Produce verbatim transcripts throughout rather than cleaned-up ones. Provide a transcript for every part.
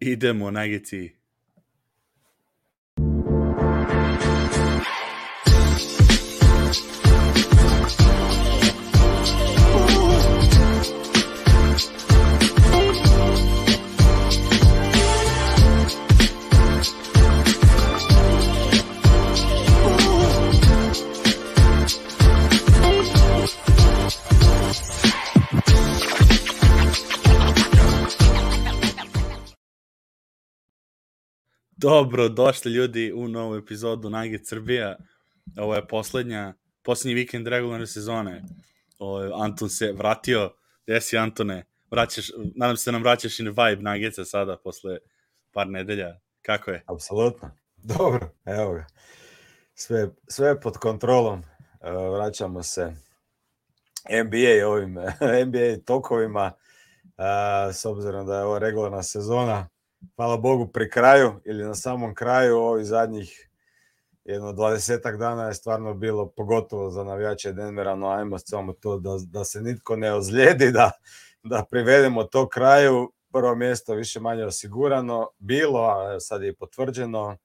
Idemo, Nuggets-i. Dobro, došli ljudi u novu epizodu Nuggets Srbija. Ovo je poslednja, poslednji vikend regularne sezone. Ovo, Anton se vratio. Gde si, Antone? Vraćaš, nadam se da nam vraćaš i vibe Nuggetsa sada, posle par nedelja. Kako je? Apsolutno. Dobro, evo ga. Sve, sve pod kontrolom. Vraćamo se N B A ovim N B A tokovima. S obzirom da je ovo regularna sezona, hvala Bogu pri kraju ili na samom kraju, ovih zadnjih jedno dvadesetak dana je stvarno bilo, pogotovo za navijače Denvera, no ajmo samo to da, da se nitko ne ozlijedi, da, da privedemo to kraju. Prvo mjesto više manje osigurano bilo, a sad je potvrđeno,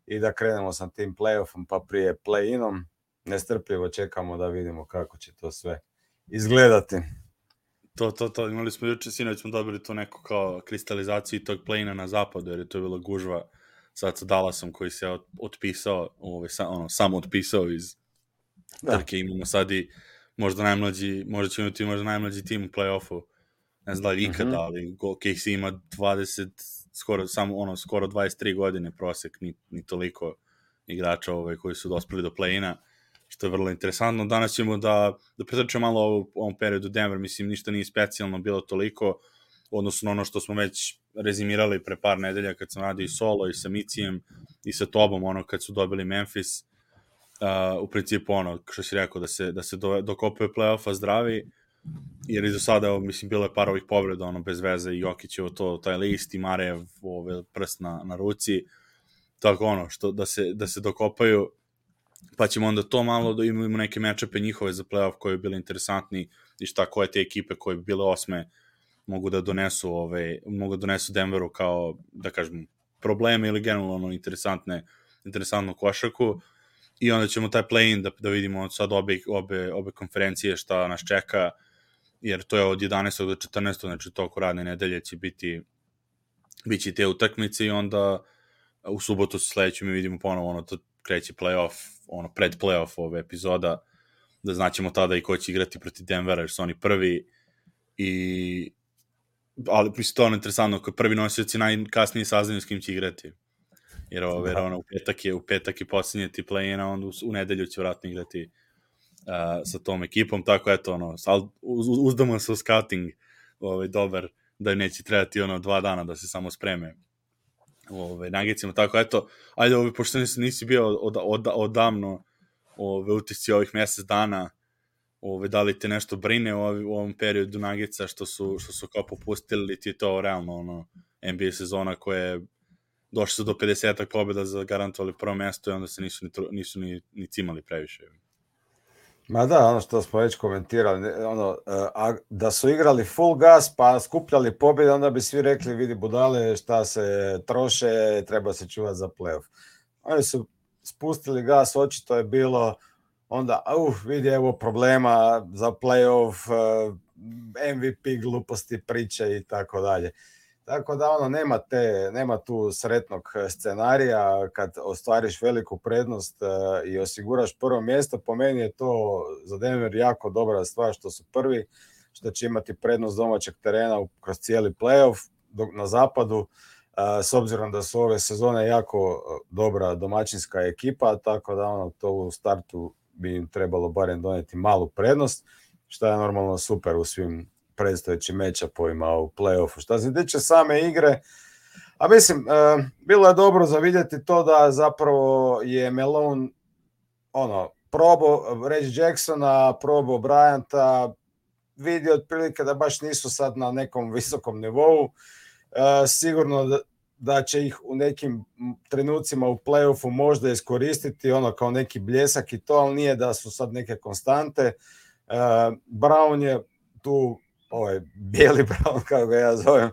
i da krenemo sa tim playoffom pa prije play-inom. Nestrpljivo čekamo da vidimo kako će to sve izgledati. To, to, to, imali smo juče, sinoć smo dobili tu neku kao kristalizaciju tog play-ina na zapadu, jer je to bilo gužva sad sa Dallasom koji se otpisao, ovaj, sa, ono, samo otpisao iz da. Trke. Imamo sad i možda najmlađi, možda ćemo imati možda najmlađi tim u play-offu, ne znam da li ikada, mm-hmm. ali K C ima dvadeset, skoro, samo, ono, skoro dvadeset tri godine prosek, ni, ni toliko igrača ovaj, koji su dospeli do play-ina, što je vrlo interesantno. Danas ćemo da, da pretrčemo malo u ovom periodu Denver, mislim, ništa nije specijalno bilo toliko, odnosno ono što smo već rezimirali pre par nedelja kad sam radio i solo i sa Micijem i sa tobom, ono kad su dobili Memphis, uh, u principu ono, što si rekao, da se, da se do, dokopaju play-offa zdravi, jer i do sada, mislim, bilo je par ovih povreda, ono, bez veze, i Jokićevo to, taj list, i Marev, ove, prst na, na ruci, tako ono, što, da se, da se dokopaju, pa ćemo onda to malo da imamo neke mečape njihove za playoff koji bi bili interesantni i šta koje te ekipe koje bi bile osme mogu da donesu ove, mogu da donesu Denveru kao, da kažem, probleme ili generalno interesantne, interesantnu košarku, i onda ćemo taj play-in da, da vidimo sad obe, obe, obe konferencije šta nas čeka, jer to je od jedanaestog do četrnaestog, znači toliko radne nedelje će biti biće te utakmice, i onda u subotu sledeću mi vidimo ponovo ono, to kreće play-off, ono, pred play-off ove epizoda, da znaćemo tada i ko će igrati protiv Denvera, jer su oni prvi, i ali mislim to je interesantno, ako prvi nosioci najkasnije saznaju s kim će igrati, jer ovo, jer ono, u petak je, u petak je posljednje ti play-ina, onda u, u nedelju će vratno igrati uh, sa tom ekipom, tako eto, ono, uz, uzdamo se u scouting, ovaj, dobar, da neće trebati ono dva dana da se samo spreme ove Nuggetsima, tako eto, ajde, ove, pošto nisi, nisi bio od, od, odavno ove utisci ovih mjesec dana, ove, da li te nešto brine u, u ovom periodu Nuggetsa što su, što su kao popustili, ti je to realno ono, N B A sezona koja je došli su do pedesetak pobjeda, zagarantovali prvo mjesto i onda se nisu ni, nisu ni, ni cimali previše. Ma da, ono što smo već komentirali, ono, a, da su igrali full gas pa skupljali pobjede, onda bi svi rekli, vidi budale šta se troše, treba se čuvati za playoff. Oni su spustili gas, očito je bilo onda, uh, vidi evo problema za playoff, M V P gluposti, priče i tako dalje. Tako da ono, nema, te, nema tu sretnog scenarija kad ostvariš veliku prednost uh, i osiguraš prvo mjesto. Po meni je to za Denver jako dobra stvar što su prvi, što će imati prednost domaćeg terena kroz cijeli playoff na zapadu, uh, s obzirom da su ove sezone jako dobra domaćinska ekipa, tako da ono, to u startu bi im trebalo barem doneti malu prednost, što je normalno super u svim predstojećim matchupovima u play-offu. Šta se tiče same igre, a mislim, uh, bilo je dobro za vidjeti to da zapravo je Malone ono, probao Reggie Jacksona, probao Bryanta, vidio otprilike da baš nisu sad na nekom visokom nivou. Uh, sigurno da, da će ih u nekim trenucima u play-offu možda iskoristiti ono kao neki bljesak i to, ali nije da su sad neke konstante. Uh, Brown je tu ovaj bijeli Brown, kako ga ja zovem,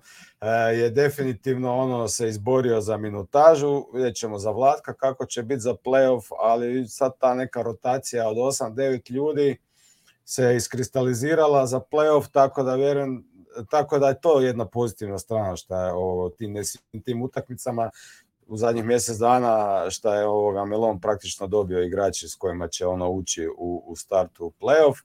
je definitivno ono se izborio za minutažu, vidjet ćemo za Vlatka kako će biti za playoff, ali sad ta neka rotacija od osam devet ljudi se iskristalizirala za playoff, tako da vjerujem, tako da je to jedna pozitivna strana što je ovo tim, tim utakmicama u zadnjih mjesec dana što je ovoga Melon praktično dobio igrače s kojima će ono ući u, u startu u playoff.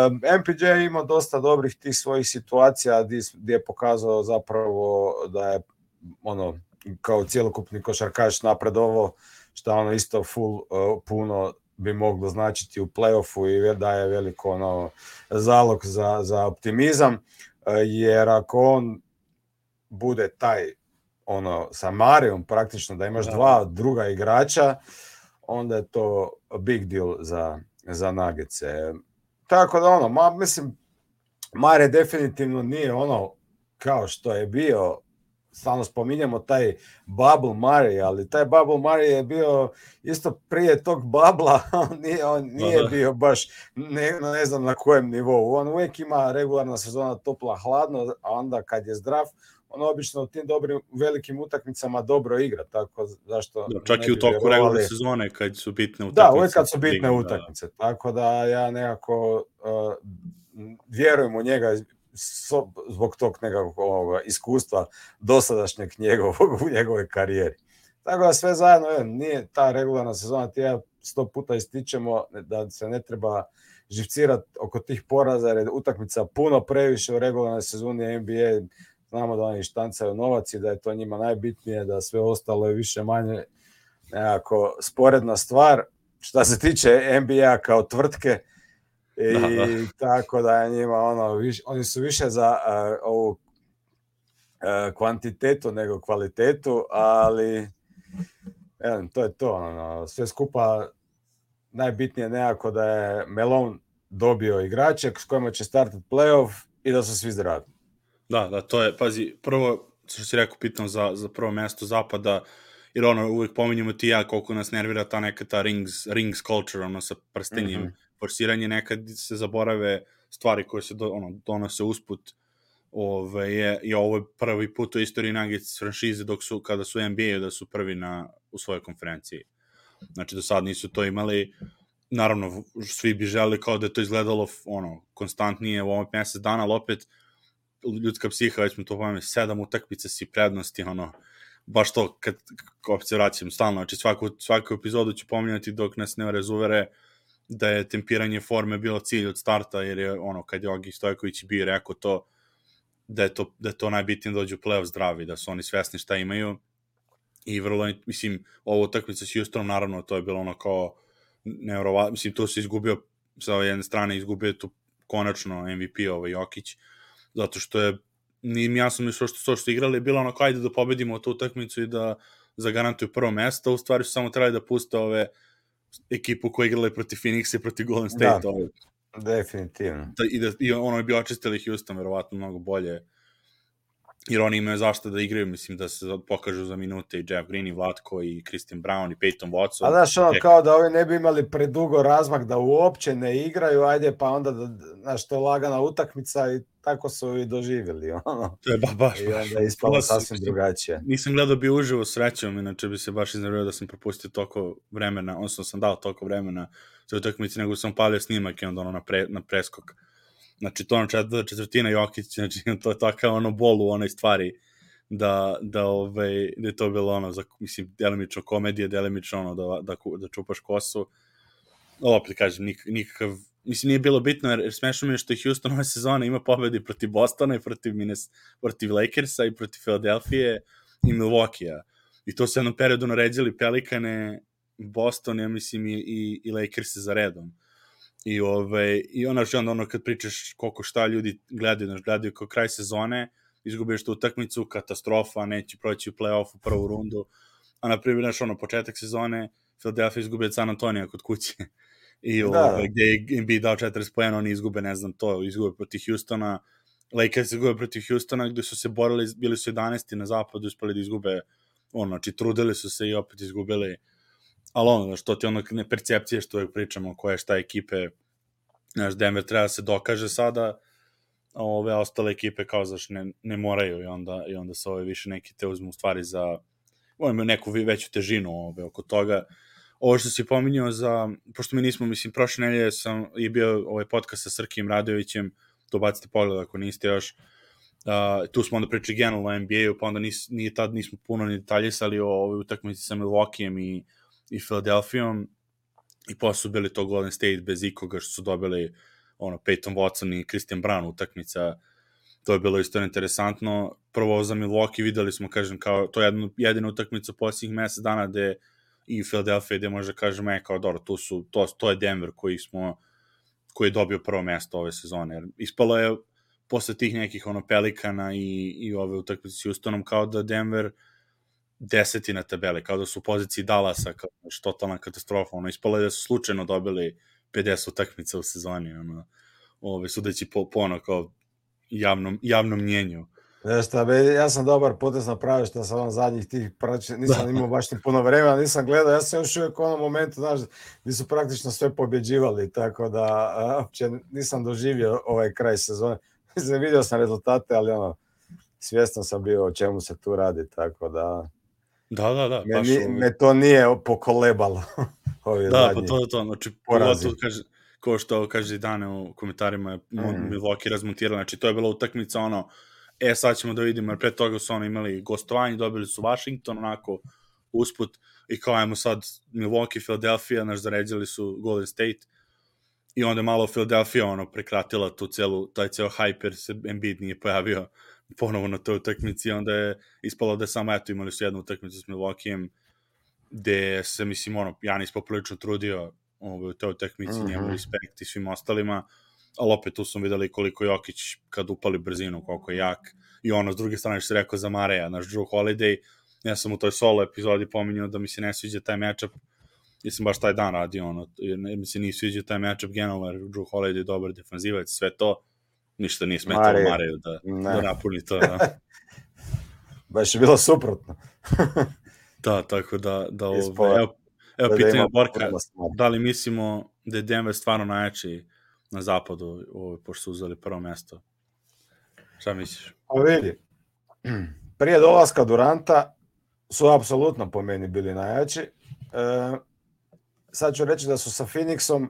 Um, M P J ima dosta dobrih tih svojih situacija gdje je pokazao zapravo da je ono kao cjelokupni košarkaš napredovao, što ono isto full uh, puno bi moglo značiti u playoffu i daje veliko ono zalog za, za optimizam, uh, jer ako on bude taj ono sa Marijom praktično da imaš da. dva druga igrača, onda je to big deal za, za Nuggetse. Tako da ono, ma, mislim, Mare definitivno nije ono kao što je bio, stalno spominjamo taj bubble Mare, ali taj bubble Mare je bio isto prije tog babla, on nije, on nije bio baš ne, ne znam na kojem nivou. On uvijek ima regularna sezona topla, hladno, a onda kad je zdrav, on obično u tim dobrim, velikim utakmicama dobro igra, tako zašto... Da, čak i u toku regularne sezone kad su bitne utakmice. Da, uvijek kad su bitne utakmice, da. Tako da ja nekako uh, vjerujem u njega so, zbog tog nekakvog ovoga, iskustva dosadašnjeg njegovog u njegove karijeri. Tako da sve zajedno, je, nije ta regularna sezona, ti ja sto puta ističemo da se ne treba živcirati oko tih poraza, jer je utakmica puno previše u regularnoj sezoni N B A. Znamo da oni štancaju novac i da je to njima najbitnije, da sve ostalo je više manje nekako sporedna stvar. Šta se tiče N B A kao tvrtke, i da, da. Tako da je njima ono, viš, oni su više za uh, ovu uh, kvantitetu nego kvalitetu, ali jedan, to je to. Ono, sve skupa najbitnije nekako da je Melon dobio igrače s kojima će startati playoff i da su svi zdravi. Da, da, to je, pazi, prvo, što si rekao, pitam za, za prvo mesto zapada, jer ono, uvijek pominjamo ti ja koliko nas nervira ta neka ta rings, rings culture, ono, sa prstenjem, mm-hmm. forsiranje, nekad se zaborave stvari koje se do, ono, donose usput, ove, je, je ovo je prvi put u istoriji Nuggets franšize dok su, kada su N B A da su prvi na, u svojoj konferenciji. Znači, do sad nisu to imali, naravno, svi bi želi kao da je to izgledalo, ono, konstantnije u ovom mjesec dana, ali opet, ljudska psiha, već smo to pojme, sedam utakmice si prednosti, ono, baš to, kad opet se vraćam stalno, znači svaku, svaku epizodu ću pominjati dok nas ne razuvere da je tempiranje forme bilo cilj od starta, jer je, ono, kad je Ogi Stojković bio rekao to, da je to, da je to najbitnije da dođu u play-off zdravi, da su oni svesni šta imaju i vrlo, mislim, ovo utakmica s Houstonom, naravno, to je bilo ono kao nevjerovatno, mislim, to se izgubio, sa jedne strane izgubio tu konačno M V P ovaj Jokić, zato što je, nije jasno mi što što su igrali, je bilo ono kao ajde da pobedimo tu utakmicu i da zagarantuju prvo mesto, u stvari su samo trebali da puste ove ekipu koja igrali protiv Phoenixa i protiv Golden State. Da, ove. Definitivno. Da, i, da, I ono bi očistili Houston verovatno mnogo bolje, jer oni imaju zašto da igraju, mislim da se pokažu za minute i Jeff Green i Vlatko i Christian Brown i Peyton Watson. A znaš ono, kao da ovi ne bi imali predugo razmak da uopće ne igraju, ajde pa onda da, znaš, to je lagana utakmica i tako su i doživjeli. Ono. To je ba, baš, I onda je ispalo sasvim drugačije. Nisam gledao bi uživo srećom, inače bi se baš iznervio da sam propustio toliko vremena, odnosno sam dao toliko vremena za utakmici, nego sam palio snimak i onda ono na, pre, na preskok. Znači, to ono četvrtina Jokić, znači, to je takav ono bol u onoj stvari, da, da, ovaj, da je to bilo ono, za, mislim, delimično komedije, delimično ono, da, da, da čupaš kosu. Opet kažem, nik, nikakav, mislim, nije bilo bitno, jer, jer smešno mi je što je Houston ove sezone ima pobedi protiv Bostona i protiv, Mines, protiv Lakersa i protiv Philadelphije i Milwaukee-a. I to se jednom periodu naređali Pelikane, Boston, ja mislim, i, i, i Lakers za redom. I, ove, i ono, onda ono kad pričaš koliko šta ljudi gledaju, znaš, gledaju kao kraj sezone, izgubiš tu utakmicu, katastrofa, neće proći u play-off u prvu rundu, a na primjer, znaš, ono, početak sezone, Philadelphia izgubio od San Antonija kod kuće, i ove, gdje je N B A dao četrdeset poena, oni izgube, ne znam, to, izgube protiv Houstona, Lakers izgube protiv Houstona, gdje su se borili, bili su jedanaesti na zapadu, uspeli da izgube, ono, znači, trudili su se i opet izgubili. Ali ono, što ti ono ne percepcije što uvijek pričamo, koje šta ekipe, znaš, Denver treba da se dokaže sada, a ove ostale ekipe kao zaš ne, ne moraju i onda, i onda se ove više neki te uzmu stvari za imaju neku veću težinu ove, oko toga. Ovo što si pominjao za, pošto mi nismo, mislim, prošle nedelje sam i bio ovaj podcast sa Srkim Radovićem, to bacite pogled ako niste još, uh, tu smo onda pričali generalno o N B A-u, pa onda nis, nije tad nismo puno ni detaljisali o ovoj utakmici sa Milwaukeeom i, i Philadelphiaom, i posle su bili to Golden State bez ikoga što su dobili ono, Peyton Watson i Christian Brown utakmica. To je bilo isto interesantno. Prvo za Milwaukee videli smo, kažem, kao to je jedna, jedina utakmica posljednjih mesec dana gde i Philadelphia gde može kažem, e, kao dobro, tu su, to, to je Denver koji smo, koji je dobio prvo mesto ove sezone. Jer ispalo je posle tih nekih ono Pelikana i, i ove utakmice s Houstonom kao da Denver deseti na tabeli, kao da su u poziciji Dallasa, kao da je totalna katastrofa. Ono, ispalo je da su slučajno dobili pedeset utakmica u sezoni. Ono, ove, sudeći po, po ono kao javnom, javnom mnjenju. Znaš šta, be, ja sam dobar potez napravio što sam vam zadnjih tih praći, nisam imao baš ni puno vremena, nisam gledao, ja sam još uvijek u onom momentu, znaš, gdje su praktično sve pobjeđivali, tako da uopće nisam doživio ovaj kraj sezone. Mislim, vidio sam rezultate, ali ono, svjestan sam bio o čemu se tu radi, tako da... Da, da, da. Me, baš ni, me to nije pokolebalo. Ovi da, pa to je to, znači, pogotovo kaže, ko što kaže dane u komentarima, mm. Milwaukee razmontirali, znači to je bila utakmica, ono, e, sad ćemo da vidimo, jer pre toga su ono imali gostovanje, dobili su Washington, onako, usput, i kao ajmo sad Milwaukee, Philadelphia, naš zaređali su Golden State, i onda malo Philadelphia, ono, prekratila tu celu, taj ceo hype, jer se Embiid nije pojavio ponovo na toj utakmici, onda je ispalo da je samo, eto, imali su jednu utakmicu s Milwaukeeom, gde se, mislim, ono, Janis poprilično trudio ovo, u toj utakmici, mm-hmm. njemu respekt i svim ostalima, ali opet tu smo videli koliko Jokić kad upali brzinu, koliko je jak, i ono, s druge strane što se rekao za Mareja, naš Drew Holiday, ja sam u toj solo epizodi pominjao da mi se ne sviđa taj matchup, jer sam baš taj dan radio, ono, jer mi se nije sviđa taj matchup generalno, jer Drew Holiday je dobar defanzivac, sve to, ništa nije smetalo Mare. Mareju da, da napuni to. Da. Baš je bilo suprotno. Da, tako da, da ove, evo, evo da pitanje Borka, da li mislimo da je Denver stvarno najjači na zapadu, ove, pošto su uzeli prvo mesto? Šta misliš? Pa vidi, prije dolaska Duranta su apsolutno po meni bili najjači. E, sad ću reći da su sa Phoenixom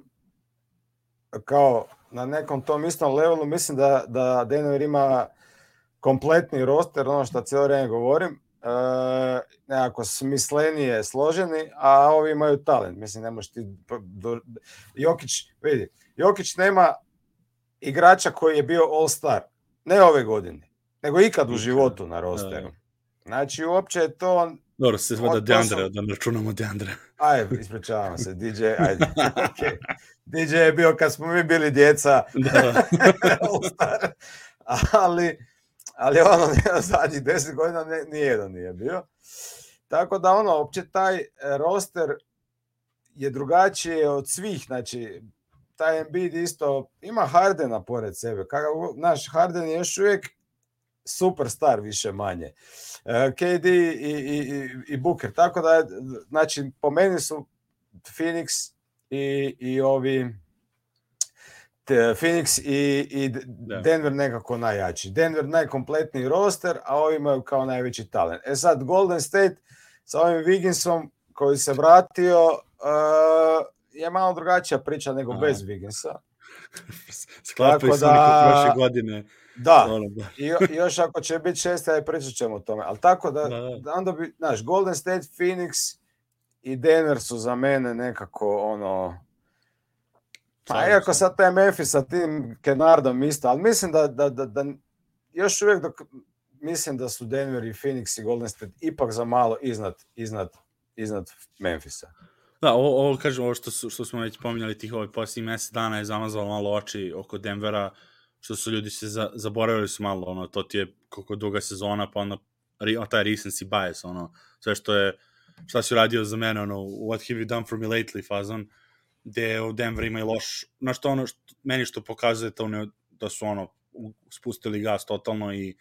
kao na nekom tom istom levelu, mislim da, da Denver ima kompletni roster, ono što cijelo vrijeme govorim, e, nekako smislenije složeni, a ovi imaju talent. Mislim, ne možeš ti... Do, Jokić, vidi, Jokić nema igrača koji je bio all-star, ne ove godine, nego ikad u životu na rosteru. Znači, uopće je to... Dobro, se zvada Deandre, da ne računamo Deandre. Ajde, ispričavam se, D J, ajde, okay. D J je bio kad smo mi bili djeca, all-star, ali, ali ono, zadnjih deset godina ne, nijedan nije bio. Tako da, ono, uopće taj roster je drugačije od svih, znači, taj Embiid isto ima Hardena pored sebe. Kako, naš Harden je još uvijek superstar više manje. K D i, i, i, i Booker. Tako da, znači, po meni su Phoenix i, i ovi te, Phoenix i, i Denver nekako najjači. Denver najkompletniji roster, a ovi imaju kao najveći talent. E sad, Golden State sa ovim Wigginsom koji se vratio uh, je malo drugačija priča nego a. bez Wigginsa. Sklapaju se neko prošle godine. Da, i još ako će biti šest, aj pričat ćemo o tome. Ali tako da, da, da. onda bi, znaš, Golden State, Phoenix i Denver su za mene nekako ono... Pa iako sad taj Memphis sa tim Kennardom isto, ali mislim da, da, da, da još uvijek dok, mislim da su Denver i Phoenix i Golden State ipak za malo iznad, iznad, iznad Memphisa. Da, ovo, ovo kažem, ovo što, su, što smo već pominjali tih ovih posljednjih mjesec dana je zamazalo malo oči oko Denvera, što su ljudi se za, zaboravili su malo, ono, to ti je koliko duga sezona, pa ono, taj recency bias, ono, sve što je, šta si uradio za mene, ono, what have you done for me lately fazon, gde u Denver ima i loš, znaš to ono, što, meni što pokazuje to ne, da su, ono, spustili gas totalno i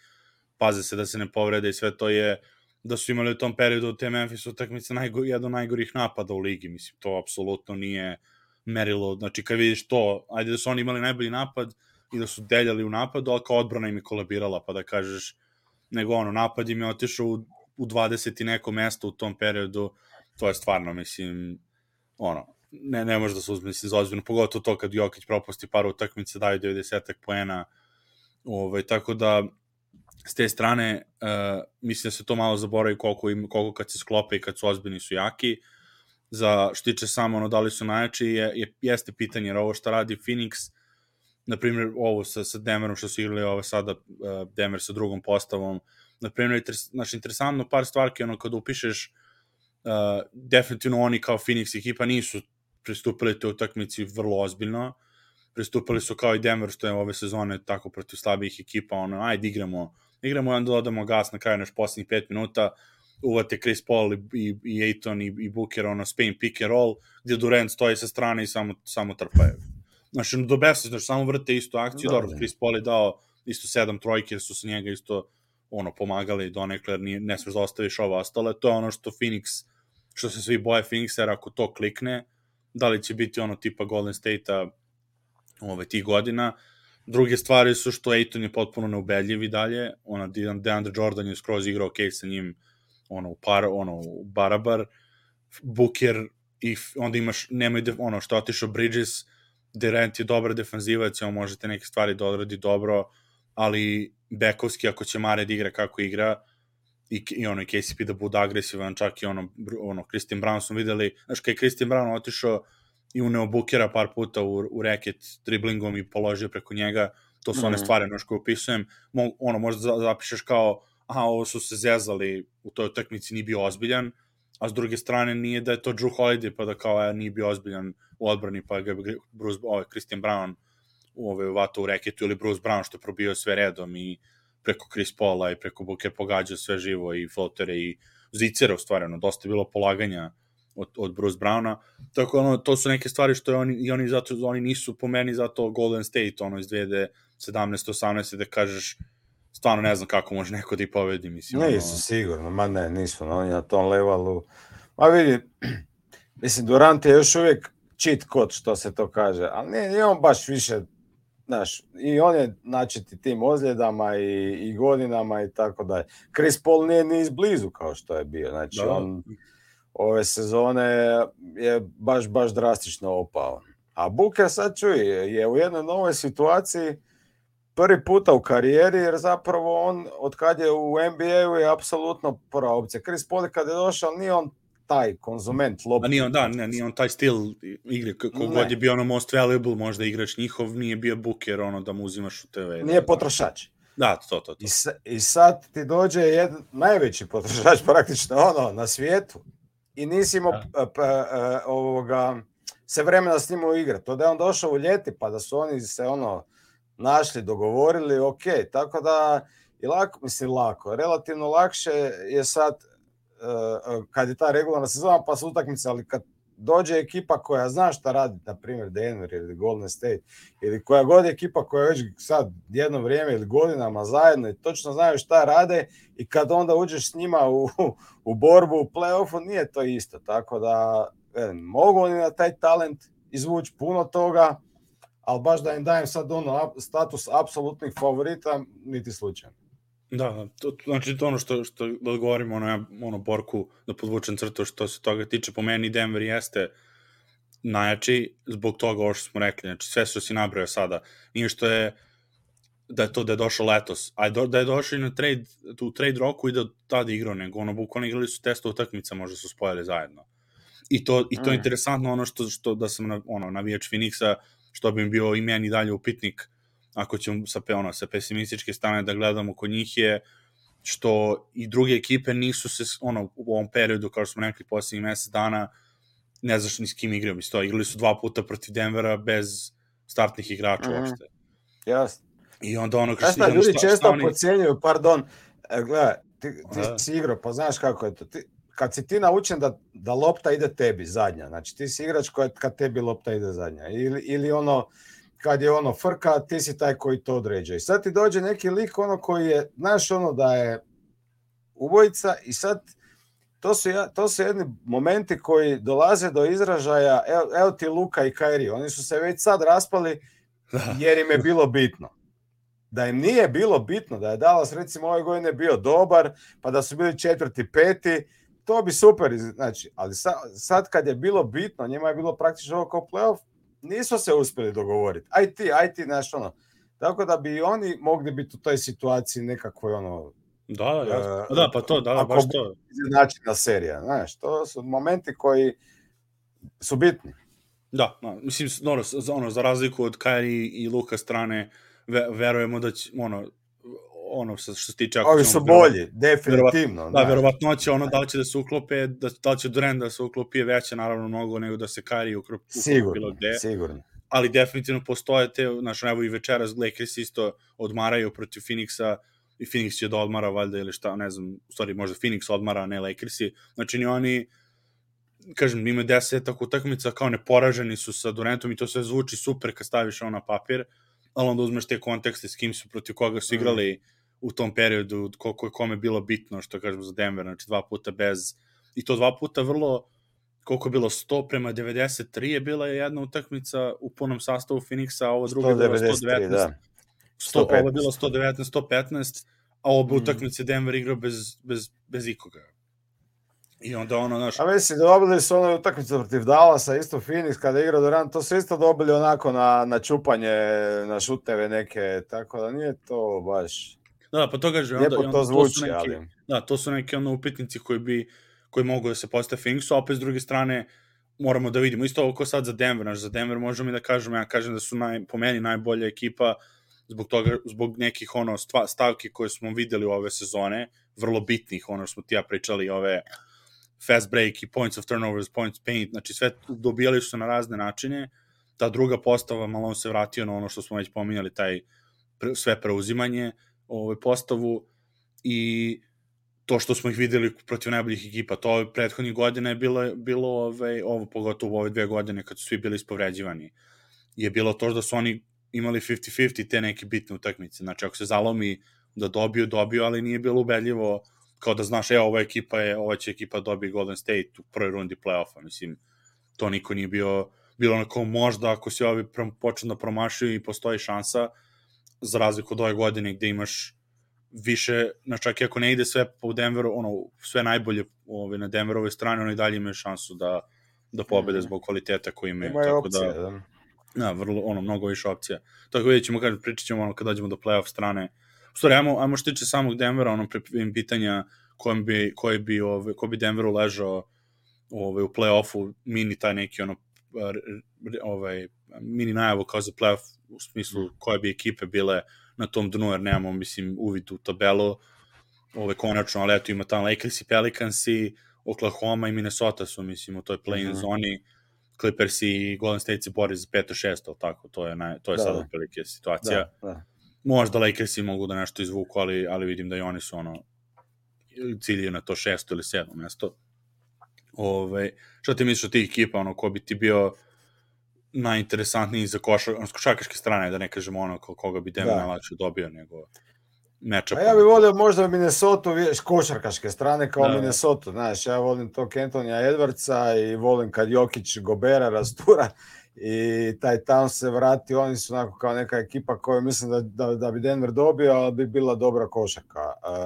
paze se da se ne povrede i sve to je, da su imali u tom periodu te Memphis utakmice najgo, jedan od najgorih napada u ligi, mislim, to apsolutno nije merilo, znači kad vidiš to, ajde da su oni imali najbolji napad, i da su deljali u napadu, ali kao odbrana im je kolabirala, pa da kažeš, nego ono, napad im je otišao u, u dvadeset i neko mesto u tom periodu, to je stvarno, mislim, ono, ne, ne može da se uzme, mislim, za ozbiljno, pogotovo to kad Jokić propusti par utakmica, daju devedeset poena, ovaj, tako da, s te strane, uh, mislim da se to malo zaboravi koliko, im, koliko kad se sklope i kad su ozbiljni su jaki. Za što tiče samo ono da li su najjači, je, je, jeste pitanje, jer ovo što radi Phoenix, na primjer ovo sa, sa Denverom što su igrali ovo sada, uh, Denver sa drugom postavom, na primjer, znači, interesantno par stvarki, ono kada upišeš, uh, definitivno oni kao Phoenix ekipa nisu pristupili toj utakmici vrlo ozbiljno, pristupili su kao i Denver što je ove sezone tako protiv slabijih ekipa, ono, ajde igramo, igramo i onda dodamo gas na kraju naš posljednjih pet minuta, uvate Chris Paul i, i, i Ayton i, i Booker, ono, Spain pick and roll, gdje Durant stoji sa strane i samo, samo trpaju. Znači, do besa, znači, samo vrte istu akciju, da, dobro, da. Chris Paul je dao isto sedam trojke, jer su se njega isto, ono, pomagali donekle, jer nije, ne smeš da ostaviš ovo ostale, to je ono što Phoenix, što se svi boje Phoenixa, jer ako to klikne, da li će biti ono tipa Golden State-a ove tih godina. Druge stvari su što Ayton je potpuno neubedljiv i dalje, ona DeAndre Jordan je skroz igrao ok sa njim, ono u par, ono u barabar, Booker i onda imaš nemoj de, ono što otišao Bridges, Durant je dobar defanzivac, on možete neke stvari da odradi dobro, ali bekovski ako će Mare da igra kako igra i, i ono i K C P da bude agresivan, čak i ono, ono Christian Brown smo videli, znaš kada je Christian Brown otišao i uneo Bookera par puta u, u reket driblingom i položio preko njega, to su mm-hmm. one stvari ono što upisujem, Mo, ono možda zapišeš kao aha, ovo su se zezali u toj utakmici, nije bio ozbiljan, a s druge strane nije da je to Drew Holiday, pa da kao ja, nije bio ozbiljan u odbrani, pa ga Bruce, ovaj, Christian Brown ovaj, vato u reketu, ili Bruce Brown što je probio sve redom i preko Chris Paula i preko Booker pogađao sve živo i flotere i zicera, u stvari, ono, dosta je bilo polaganja od, od Bruce Browna, tako ono, to su neke stvari što je oni, i oni, zato, oni nisu po meni zato Golden State, ono, iz dve hiljade sedamnaeste osamnaeste da kažeš, stvarno ne znam kako može neko da ih pobedi, mislim. Nisu ono... sigurno, ma ne, nisu, oni na tom levalu, ma vidi, mislim, Durant je još uvijek cheat code, što se to kaže, ali nije, nije on baš više, znaš, i on je načeti tim ozljedama i, i godinama i tako dalje. Chris Paul nije ni izblizu kao što je bio, znači da. On ove sezone je baš, baš drastično opao. A Booker sad čuj, je u jednoj novoj situaciji prvi puta u karijeri, jer zapravo on, od kad je u N B A-u, je apsolutno prva opcija. Chris Paul kad je došao, nije on taj konzument lopta. A nije on, da, ne, nije on taj stil igre, kogod je bio ono most valuable, možda igrač njihov, nije bio Booker, ono da mu uzimaš u T V. Nije potrošač. Da, to, to, to. I, sa, i sad ti dođe jedan najveći potrošač praktično ono, na svijetu i nisi imao p, p, ovoga, se vremena s njim u igre. To da je on došao u ljeti, pa da su oni se ono našli, dogovorili, ok, tako da je lako, mislim lako, relativno lakše je sad uh, kad je ta regularna sezona pa su utakmice, ali kad dođe ekipa koja zna šta radi, na primjer Denver ili Golden State, ili koja god je ekipa koja već sad jedno vrijeme ili godinama zajedno i točno znaju šta rade i kad onda uđeš s njima u, u borbu u play-offu, nije to isto, tako da velim, mogu oni na taj talent izvući puno toga, ali baš da im dajem sad ono status apsolutnih favorita, niti slučajno. Da, to, znači to ono što, što da odgovorimo ono, ono Borku, da podvučem crtu što se toga tiče, po meni Denver jeste najjači zbog toga ovo što smo rekli, znači sve što si nabrao sada, nije što je da je to da je došao letos, a da je došao i na trade, u trade roku i da tada igrao, nego ono bukvalno igrali su testa utakmica, možda su spojili zajedno. I to, i to je interesantno ono što, što da sam ono, navijač Phoenixa, što bi im bio i meni dalje upitnik, ako ćemo sa, ono, sa pesimističke strane da gledamo kod njih je što i druge ekipe nisu se ono, u ovom periodu, kao što smo rekli, posljednjih mjesec dana, ne znaš ni s kim igrao. Mislim, igrali su dva puta protiv Denvera bez startnih igrača mm-hmm. uopšte. Jasno. I onda ono... Šta, šta, ljudi šta, često oni... podcjenjuju, pardon, e, gledaj, ti, ti si igrao, pa znaš kako je to. Ti, kad si ti naučen da, da lopta ide tebi zadnja, znači ti si igrač koja, kad tebi lopta ide zadnja, ili, ili ono, kad je ono frka, ti si taj koji to određuje. I sad ti dođe neki lik ono koji je, znaš ono da je ubojica i sad to su, to su jedni momenti koji dolaze do izražaja, evo, evo ti Luka i Kyrie, oni su se već sad raspali jer im je bilo bitno. Da im nije bilo bitno, da je Dallas recimo ove godine bio dobar, pa da su bili četvrti, peti, to bi super, znači, ali sad, sad kad je bilo bitno, njima je bilo praktično ovo kao playoff, nisu se uspjeli dogovoriti. Aj ti, aj ti, znaš, ono. Tako da bi oni mogli biti u toj situaciji nekakvoj, ono... Da, da, jasno. Uh, da, pa to, da, baš to. Izjednačena serija, znaš, to su momenti koji su bitni. Da, da, mislim, ono, ono, za razliku od Kyrie i Luka strane, ve, verujemo da će, ono, ono, što se tiče... Ovi su bolji, definitivno. Da, verovatnoće, ono, da li će da se uklope, da, da li će Durant da se uklopi je veće, naravno, mnogo nego da se Kyrie uklopi bilo gde. Sigurno, ali definitivno postoje te, znaš, evo i večeras Lakers isto odmaraju protiv Phoenixa i Phoenix će da odmara valjda ili šta, ne znam, u stvari možda Phoenix odmara, a ne Lakersi, znači ni oni, kažem, imaju desetak utakmica kao neporaženi su sa Durantom i to sve zvuči super kad staviš ono na papir, ali onda uzmeš te kontekste s kim su, protiv koga su igrali mm. u tom periodu, koliko je kome bilo bitno, što kažem za Denver, znači dva puta bez, i to dva puta vrlo, koliko je bilo, sto prema devedeset tri je bila jedna utakmica u punom sastavu Phoenixa, a ovo drugo je bilo sto devetnaest, da. sto, ovo je bilo sto devetnaest sto petnaest, a obe mm. utakmice Denver igrao bez, bez, bez ikoga. I onda ono, znaš... A mislim, dobili su ono utakmicu protiv Dallasa, isto Phoenix, kada je igrao Durant, to su isto dobili onako na, na čupanje, na šuteve neke, tako da nije to baš... Da, pa to kaže, lijepo onda, to onda, zvuči, to su neki, ali... Da, to su neki ono upitnici koji bi, koji mogu da se postave Phoenixu, a opet s druge strane moramo da vidimo, isto ovo ko sad za Denver, znaš, za Denver možemo i da kažemo, ja kažem da su naj, po meni najbolja ekipa zbog toga, zbog nekih ono stva, stavki koje smo videli ove sezone, vrlo bitnih, ono što smo ti ja pričali, ove fast break i points of turnovers, points paint, znači sve dobijali su se na razne načine, ta druga postava, malo on se vratio na ono što smo već pominjali, taj pre, sve preuzimanje, ovaj, postavu i to što smo ih videli protiv najboljih ekipa, to ove prethodnih godina je bilo, bilo ove, ovo pogotovo u ove dve godine kad su svi bili ispovređivani, je bilo to da su oni imali pedeset pedeset te neke bitne utakmice, znači ako se zalomi da dobiju, dobiju, ali nije bilo ubedljivo kao da znaš, evo, ova ekipa je, ova će ekipa dobije Golden State u prvoj rundi play-offa, mislim, to niko nije bio, bilo onako možda ako si ovi počne da promašuju i postoji šansa, za razliku od ove godine gde imaš više, znači čak i ako ne ide sve po Denveru, ono, sve najbolje ove, na Denverovoj strani, oni dalje imaju šansu da, da pobede mm. zbog kvaliteta koji imaju. Imaju tako opcije, da, da. Da, vrlo, ono, mnogo više opcija. Tako vidjet ćemo, kažem, pričat ćemo ono, kad dođemo do play-off strane. U stvari, ajmo, ajmo što tiče samog Denvera, ono, pitanja kojem bi, koji bi, ove, ko bi Denveru ležao ove, u play-offu, mini taj neki, ono, ovaj, mini najavu kao za play-off, u smislu koje bi ekipe bile na tom dnu, jer nemamo, mislim, uvid u tabelu, ove, konačno, ali eto, ima tamo Lakers i Pelicans i Oklahoma i Minnesota su, mislim, u toj play-in mm-hmm. zoni, Clippers i Golden State se bori za peto šesto, tako, to je, naj, to je da, sad otprilike situacija. Da, da. Možda Lakersi mogu da nešto izvuku, ali, ali vidim da i oni su ono cilje na to šesto ili sedmo mesto. Ove, šta ti misliš od tih ekipa, ono, ko bi ti bio najinteresantniji za košar, ono, s košarkaške strane, da ne kažemo ono, koga bi Denver najlakše dobio, nego matchup. A ja bih volio možda Minnesota, s košarkaške strane kao da. Minnesota, znaš, ja volim tog Antonija Edwardsa i volim kad Jokić Gobera rastura i taj Towns se vrati, oni su onako kao neka ekipa koju mislim da, da, da bi Denver dobio, ali bi bila dobra košarka.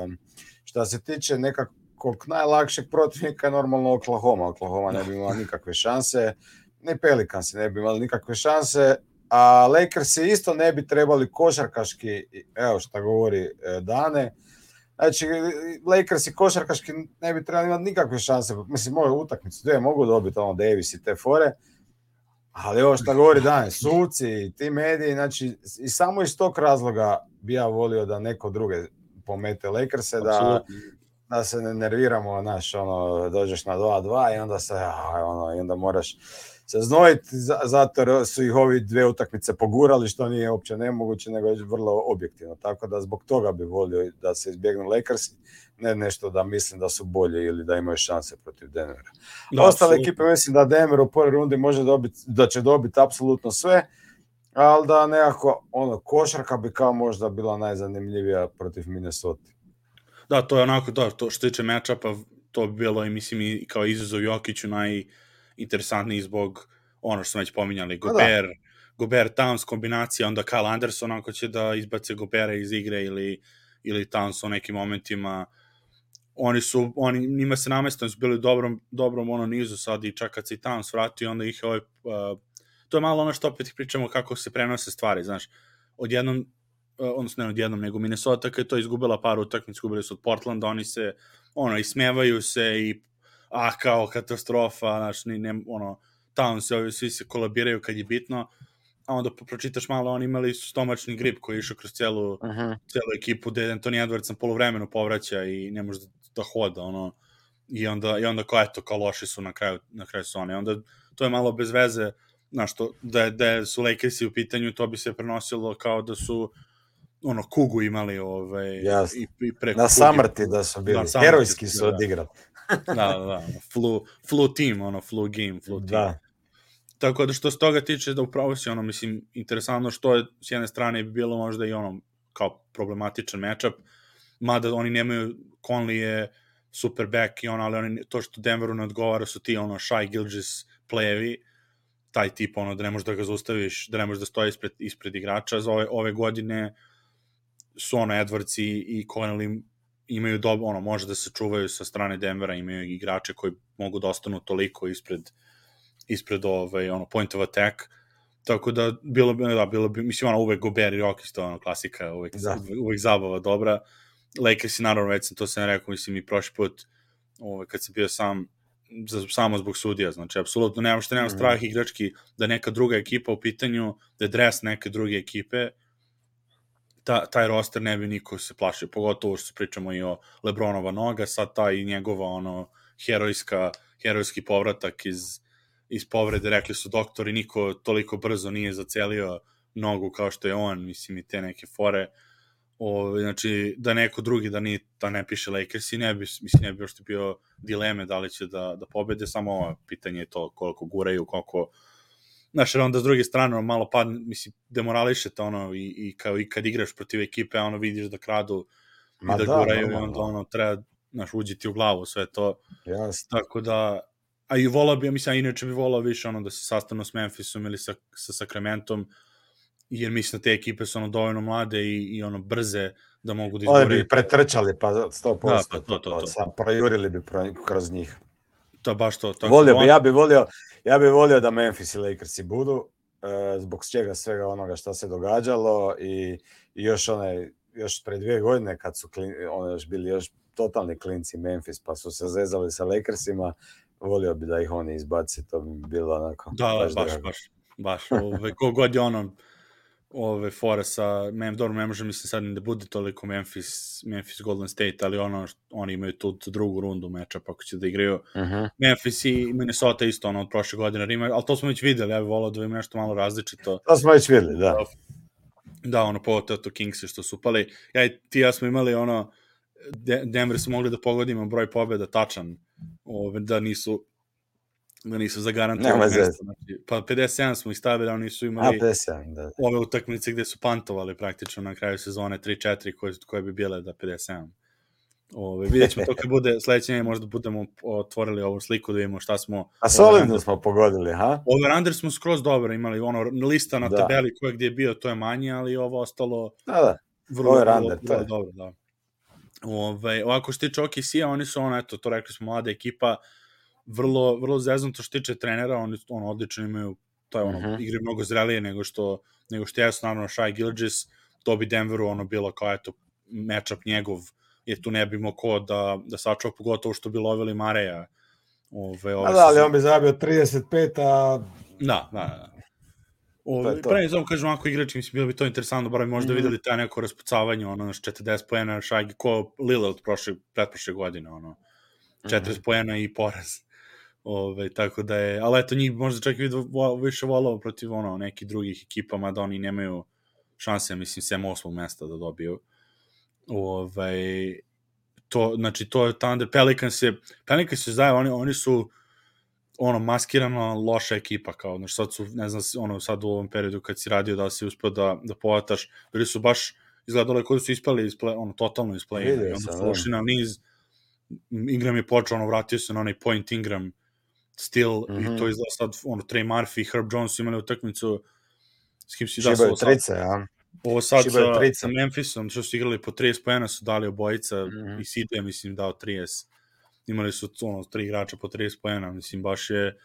Um, šta se tiče nekakvog najlakšeg protivnika, normalno Oklahoma. Oklahoma ne bi imala nikakve šanse, ni Pelicans ne bi imali nikakve šanse, a Lakersi isto ne bi trebali košarkaški, evo šta govori Dane, znači Lakersi košarkaški ne bi trebali imati nikakve šanse, mislim moju utakmicu dvije mogu dobiti ono Davis i te fore, ali ovo šta govori Dane, suci, ti mediji, znači i samo iz tog razloga bi ja volio da neko druge pomete Lakerse, da, da se ne nerviramo, znaš, ono, dođeš na dva dva i onda se, ono, i onda moraš se znojiti, zato su ih ovi dve utakmice pogurali, što nije uopće nemoguće, nego je vrlo objektivno. Tako da zbog toga bi volio da se izbjegnu Lakersi, ne nešto da mislim da su bolje ili da imaju šanse protiv Denvera. Da, ostale absolutno. Ekipe mislim da Denver u prvoj rundi može dobiti, da će dobiti apsolutno sve, ali da nekako ono, košarka bi kao možda bila najzanimljivija protiv Minnesota. Da, to je onako, da, to što tiče matchupa, to bi bilo i mislim i kao izazov Jokiću najinteresantniji zbog ono što smo već pominjali, Gober, Gobert Towns kombinacija, onda Kyle Anderson ako će da izbace Gobera iz igre ili, ili Towns u nekim momentima. Oni su, oni, njima se namestano su bili u dobrom, dobrom ono nizu sad i čak kad se i Towns vrati, onda ih ovaj, uh, to je malo ono što opet pričamo kako se prenose stvari, znaš, odjednom, uh, odnosno ne odjednom, nego Minnesota kad je to izgubila par utakmica, izgubili su od Portlanda, oni se, ono, ismevaju se i, a, kao katastrofa, znaš, ni, ne, ono, Towns, ovi, svi se kolabiraju kad je bitno, a onda pročitaš malo, oni imali su stomačni grip koji je išao kroz celu, uh-huh. celu ekipu, gde Anthony Edwards na polovremenu povraća i ne može da, da hoda, ono, i onda, i onda kao, eto, kao loši su na kraju, na kraju sezone. Onda to je malo bez veze, znaš, to, da, da su Lakersi u pitanju, to bi se prenosilo kao da su, ono, kugu imali, ovaj, yes. i, i preko na samrti da su bili, da, herojski su odigrali. da, da, da, flu, flu team, ono, flu game, flu team. Da. Tako da što se toga tiče da upravo si ono, mislim, interesantno što je s jedne strane bi bilo možda i ono kao problematičan matchup, mada oni nemaju, Conley je super back i ono, ali oni, to što Denveru ne odgovara su ti ono Shai Gilgeous playevi, taj tip ono da ne možeš da ga zaustaviš, da ne možeš da stoji ispred, ispred igrača. Za ove, ove godine su ono Edwards i, i Conley imaju dobro, ono, može da se čuvaju sa strane Denvera, imaju igrače koji mogu da ostanu toliko ispred ispred ovaj, ono, point of attack, tako da bilo bi, da, bilo bi, mislim, ono, uvek Gobert i Rockets, to ono, klasika, uvek, da. uvek zabava dobra. Lakers i naravno, već sam to sam rekao, mislim, i prošli put, ovaj, kad sam bio sam, za, samo zbog sudija, znači, apsolutno, nemam što nemam mm-hmm. strah igrački da neka druga ekipa u pitanju, da je dres neke druge ekipe, ta, taj roster ne bi niko se plašio, pogotovo što pričamo i o LeBronova noga, sad ta i njegova, ono, herojska, herojski povratak iz iz povrede, rekli su doktori, niko toliko brzo nije zacelio nogu kao što je on, mislim, i te neke fore. O, znači, da neko drugi, da, ni, da ne piše Lakers i ne bi, mislim, ne bi još bio dileme da li će da, da pobede, samo ovo pitanje je to koliko guraju, koliko, znaš, jer onda s druge strane, malo pad, mislim, demorališete ono, i, i, kao, i kad igraš protiv ekipe, ono, vidiš da kradu Ma i da, da guraju, i onda, ono, treba, znaš, uđi ti u glavu sve to. Yes. Tako da, a i volao bi, mislim, inače bi volao više ono da se sastanu s Memphisom ili sa, sa Sacramentom, jer mislim da te ekipe su ono dovoljno mlade i, i ono brze da mogu da izgore. Oni bi pretrčali pa sto posto, da, pa to, to, to. Sam projurili bi kroz njih. To baš to. Tako volio bi, ja bi volio, ja bi volio da Memphis i Lakersi budu, e, zbog čega svega onoga što se događalo i, i još onaj, još pre dvije godine kad su klin, ono još bili još totalni klinci Memphis pa su se zezali sa Lakersima, volio bi da ih oni izbaci, to bi bilo onako. Da, baš, baš, baš, baš. Ove, kogod je ono, ove fora sa, mem, dobro, ne može mislim sad da bude toliko Memphis, Memphis Golden State, ali ono, oni imaju tu drugu rundu meča, pa ako će da igraju. Uh-huh. Memphis i Minnesota isto, ono, od prošle godine, Rima, ali to smo već videli, ja bih volao da ima nešto malo različito. To smo već videli, da. Da, ono, po to, to Kingsi što su upali. Ja i ti ja smo imali, ono, Denver su mogli da pogodimo broj pobjeda tačan, ove, da nisu da nisu zagarantovali mesto. Znači, pa pedeset sedam smo ih stavili, oni su imali A, pedeset sedam, da. ove utakmice gde su pantovali praktično na kraju sezone tri četiri koje, koje bi bile da pedeset sedam. Ove, vidjet ćemo to kad bude sledeće nedelje, možda budemo otvorili ovu sliku da vidimo šta smo... A solidno smo pogodili, ha? Over-under smo skroz dobro imali, ono, lista na da. tabeli koja gdje je bio, to je manje, ali ovo ostalo... Da, da, vrlo, over-under, vrlo, vrlo dobro, da. Ove, ovako što tiče O K C-a, oni su, ono, eto, to rekli smo, mlada ekipa, vrlo, vrlo zeznuto što tiče trenera, oni ono, odlično imaju, to je ono, uh-huh. igre mnogo zrelije nego što, nego što jesu, naravno, Shai Gilgeous, to bi Denveru ono bilo kao, eto, matchup njegov, jer tu ne bi imao ko da, da sačuva, pogotovo što bi lovili Mareja. Ove, ove a da, ali on bi zabio trideset pet, a... Da, da, da. Pre ne znam, kažem, ako igrači, mislim, bilo bi to interesantno, bar bi možda mm. videli taj neko raspucavanje, ono, četrdeset poena, Shai, ko Lillard prošle, pretprošle godine, ono, četrdeset mm-hmm. poena i poraz. Ove, tako da je, ali eto, njih možda čak i više volao protiv, ono, nekih drugih ekipa, mada oni nemaju šanse, mislim, sem osmog mesta da dobiju. Ove, to, znači, to je Thunder, Pelicans je, Pelicans je zajedno, oni, oni su, ono, maskirano loša ekipa, kao, znači, sad su, ne znam, ono, sad u ovom periodu kad si radio da si uspio da, da povataš, bili su baš, izgledalo koji su ispali, isple, ono, totalno isplay, i onda su ušli na niz, Ingram je počeo, ono, vratio se na onaj point Ingram, still, mm-hmm. i to izgleda sad, ono, Trey Murphy i Herb Jones su imali utakmicu, S kim si da Šibaju trice, a? Ovo sad Šibaju sa, trice. sa Memphisom, što su igrali po trideset poena, su dali obojica, Mhm. i C J, mislim, dao trideset. Imali su ono, tri igrača po trideset poena, mislim, baš je...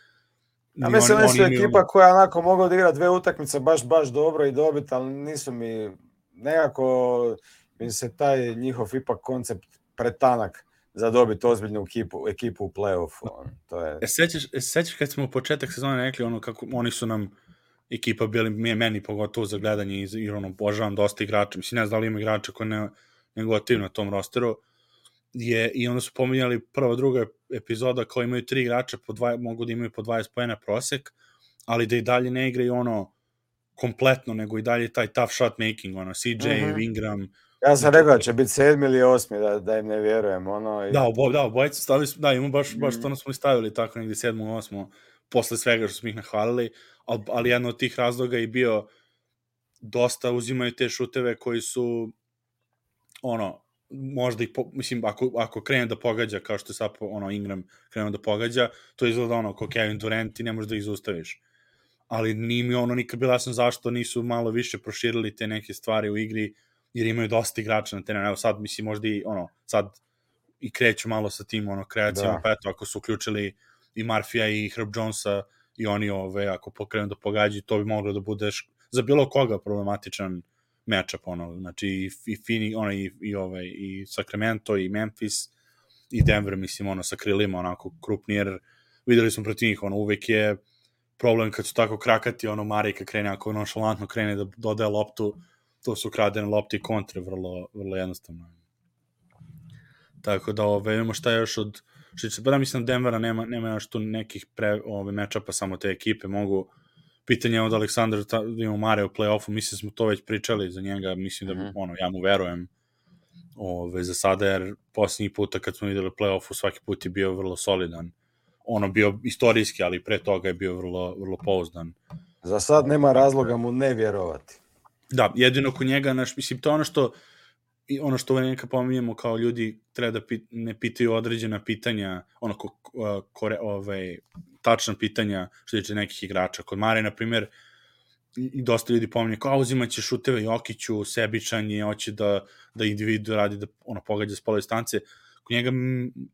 A ni mislim, oni, oni oni su imaju ekipa ono- koja onako mogu odigrati dve utakmice baš, baš dobro i dobiti, ali nisu mi nekako, mi se taj njihov ipak koncept pretanak za dobiti ozbiljnu ekipu, ekipu u play-offu. ono, To je... E, sećaš, e, sećaš kad smo u početak sezone rekli ono kako oni su nam ekipa bili, mi- meni pogotovo za gledanje i, i ono, obožavam dosta igrača. Mislim, ne znam da li ima igrača koji ne, ne gotiv na tom rosteru. Je, I onda su pominjali prva, druga epizoda kao imaju tri igrača, po dva, mogu da imaju po dvadeset poena prosek, ali da i dalje ne igraju ono kompletno, nego i dalje taj tough shot making, ono, C J, Mhm. Ingram. Ja sam znači, rekao da će biti sedmi ili osmi, da, da im ne vjerujem. Ono, i... Da, obo, da, obojice stavili smo, da, imamo baš, baš Mhm. to smo i stavili tako negdje sedmo, osmo, posle svega što smo ih nahvalili, ali, ali jedan od tih razloga je bio dosta uzimaju te šuteve koji su ono, možda ih, po, mislim, ako, ako krene da pogađa, kao što je sad ono, Ingram krenuo da pogađa, to izgleda ono, kao Kevin Durant, ti ne možeš da ih zaustaviš. Ali nije mi ono nikad bila jasno zašto nisu malo više proširili te neke stvari u igri, jer imaju dosta igrača na terenu. Evo sad, mislim, možda i, ono, sad i kreću malo sa tim, ono, kreacijama, Da. pa eto, ako su uključili i Marfija i Herb Jonesa i oni, ove, ako pokrenu da pogađaju, to bi moglo da budeš za bilo koga problematičan matchup, ono, znači i, i Phoenix, ono, i, i, ove, i Sacramento, i Memphis, i Denver, mislim, ono, sa krilima, onako, krupni, jer videli smo protiv njih, ono, uvek je problem kad su tako krakati, ono, Mari kad krene, ako nonšalantno krene da dodaje loptu, to su kradene lopte i kontre, vrlo, vrlo jednostavno. Tako da, ove, imamo šta još od, što će, pa da mislim, Denvera nema, nema još tu nekih pre, ove, matchupa, samo te ekipe mogu, pitanje je od Aleksandra, da imamo Mare u play-offu, mislim smo to već pričali za njega, mislim da, Mhm. ono, ja mu verujem, ove, za sada, jer posljednji puta kad smo videli play-offu, svaki put je bio vrlo solidan, ono bio istorijski, ali pre toga je bio vrlo, vrlo pouzdan. Za sad nema razloga mu ne vjerovati. Da, jedino kod njega, naš, mislim, to je ono što i ono što neka pominjemo kao ljudi treba da pit, ne pitaju određena pitanja, ono ko, kore, ovaj, tačna pitanja što tiče nekih igrača. Kod Mare, na primjer, i dosta ljudi pominje kao uzimaće šuteve Jokiću, sebičan je, hoće da, da individu radi, da ono, pogađa s pola distance. Kod njega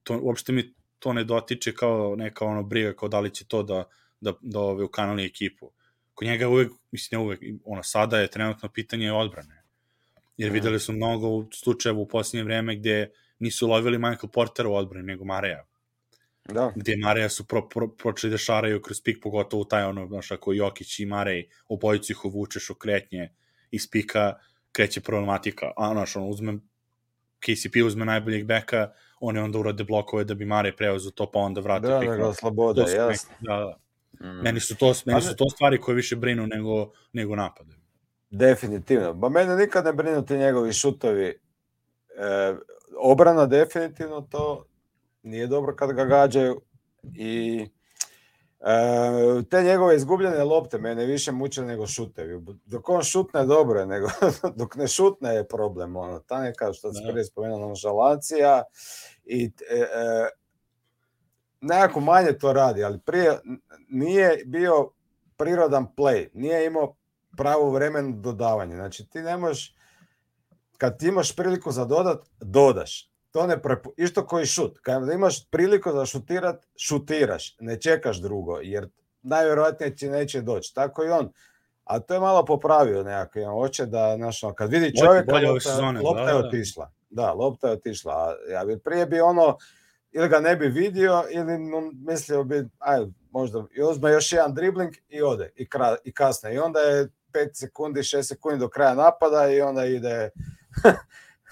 to, uopšte mi to ne dotiče kao neka ono briga, kao da li će to da, da, da ove, ukanali ekipu. Kod njega uvek, mislim ne uvek, ono, sada je trenutno pitanje odbrane. Jer videli su mnogo slučajeva u posljednje vreme gde nisu lovili Michael Portera u odbrani, nego Mareja. Da. Gde Mareja su pro, pro, počeli da šaraju kroz pik, pogotovo taj ono, znaš, ako Jokić i Marej, obojicu ih uvučeš u kretnje iz pika, kreće problematika. A, znaš, ono, uzme, K C P uzme najboljeg beka, oni onda urade blokove da bi Marej preuzeo to, pa onda vrate Da, pik. da ga slobode, jasno. Da, da. Mm. Meni su to, meni su to stvari koje više brinu nego, nego napade. Definitivno. Ba mene nikad ne brinu ti njegovi šutovi. E, obrana definitivno to nije dobro kad ga gađaju i e, te njegove izgubljene lopte mene više muče nego šutevi. Dok on šutne dobro je, nego dok ne šutne je problem. Ono, ta neka što se prije spomenuo nonšalancija i e, e, nekako manje to radi, ali prije nije bio prirodan play, nije imao pravo vremenu dodavanje. Znači ti ne možeš, kad ti imaš priliku za dodat, dodaš. To ne prepu... Isto koji šut. Kad imaš priliku za šutirat, šutiraš. Ne čekaš drugo, jer najvjerojatnije ti neće doći. Tako i on. A to je malo popravio nekako. On hoće da, znaš, kad vidi čovjeka, bolje lopta, sezone, lopta da, je da. otišla. Da, lopta je otišla. A ja bi prije bi ono, ili ga ne bi vidio, ili mislio bi, aj, možda, i uzme još jedan dribling i ode, i, kra, i kasne. I onda je pet sekundi, šest sekundi do kraja napada i onda ide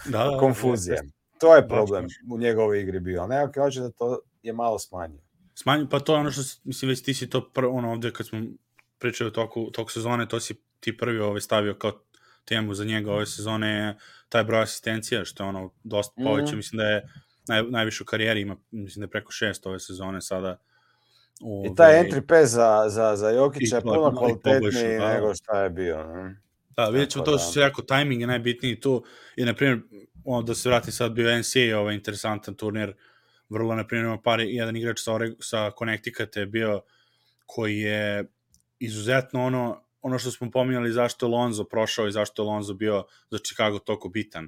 da, da, konfuzija. Da, to je problem baš, baš. u njegovoj igri bio. Nekako hoće da to je malo smanjio. Smanjio, pa to je ono što, mislim, već ti si to prvo, ono ovde kad smo pričali o toku, toku sezone, to si ti prvi ovaj stavio kao temu za njega ove sezone, taj broj asistencija, što je ono dosta poveća, mm. mislim da je naj, najviše u karijeri, ima, mislim da je preko šest ove sezone sada. Ove... I taj entry pass za, za, za Jokića je puno no, kvalitetniji da. nego šta je bio. Ne? Da, vidjet ćemo to da. što se rekao, tajming je najbitniji tu, i na primjer, ono, da se vrati sad bio N C A A, ovaj interesantan turnir, vrlo, na primjer, ima par, jedan igrač sa, sa Connecticut je bio, koji je izuzetno ono, ono što smo pominjali zašto je Lonzo prošao i zašto je Lonzo bio za Chicago toliko bitan,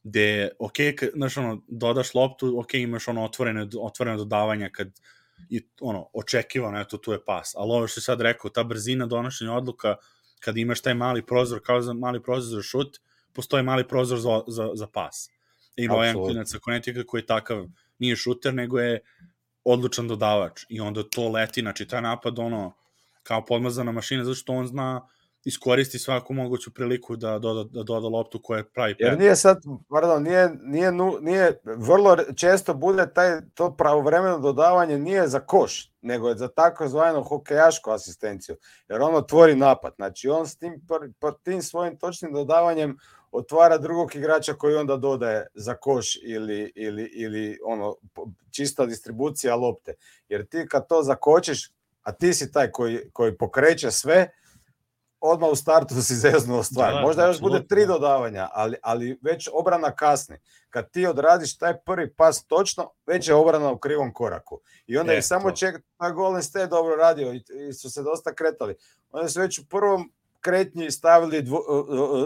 gde, ok, znaš, ono, dodaš loptu, ok, imaš ono otvorene, otvorene dodavanja kad i ono, očekivano, eto, tu je pas, ali ovo što je sad rekao, ta brzina donošenja odluka, kad imaš taj mali prozor, kao za mali prozor za šut, postoji mali prozor za, za, za pas. Ima ovaj klinac sa Connecticuta koji je takav, nije šuter, nego je odlučan dodavač i onda to leti, znači taj napad ono, kao podmazana mašina, zato što on zna iskoristi svaku moguću priliku da doda, da doda loptu koja pravi prednost. Jer nije sad, pardon, nije, nije, nije, vrlo često bude taj, to pravovremeno dodavanje nije za koš, nego je za takozvanu hokejašku asistenciju, jer on otvori napad, znači on s tim, tim svojim točnim dodavanjem otvara drugog igrača koji onda dodaje za koš ili, ili, ili ono, čista distribucija lopte, jer ti kad to zakočiš, a ti si taj koji, koji pokreće sve, odmah u startu si zeznuo stvar. Da, možda još bude tri dodavanja, ali, ali već obrana kasni. Kad ti odradiš taj prvi pas točno, već je obrana u krivom koraku. I onda je samo ček, taj Golden State dobro radio i, i su se dosta kretali. Onda su već u prvom kretnji stavili dvo,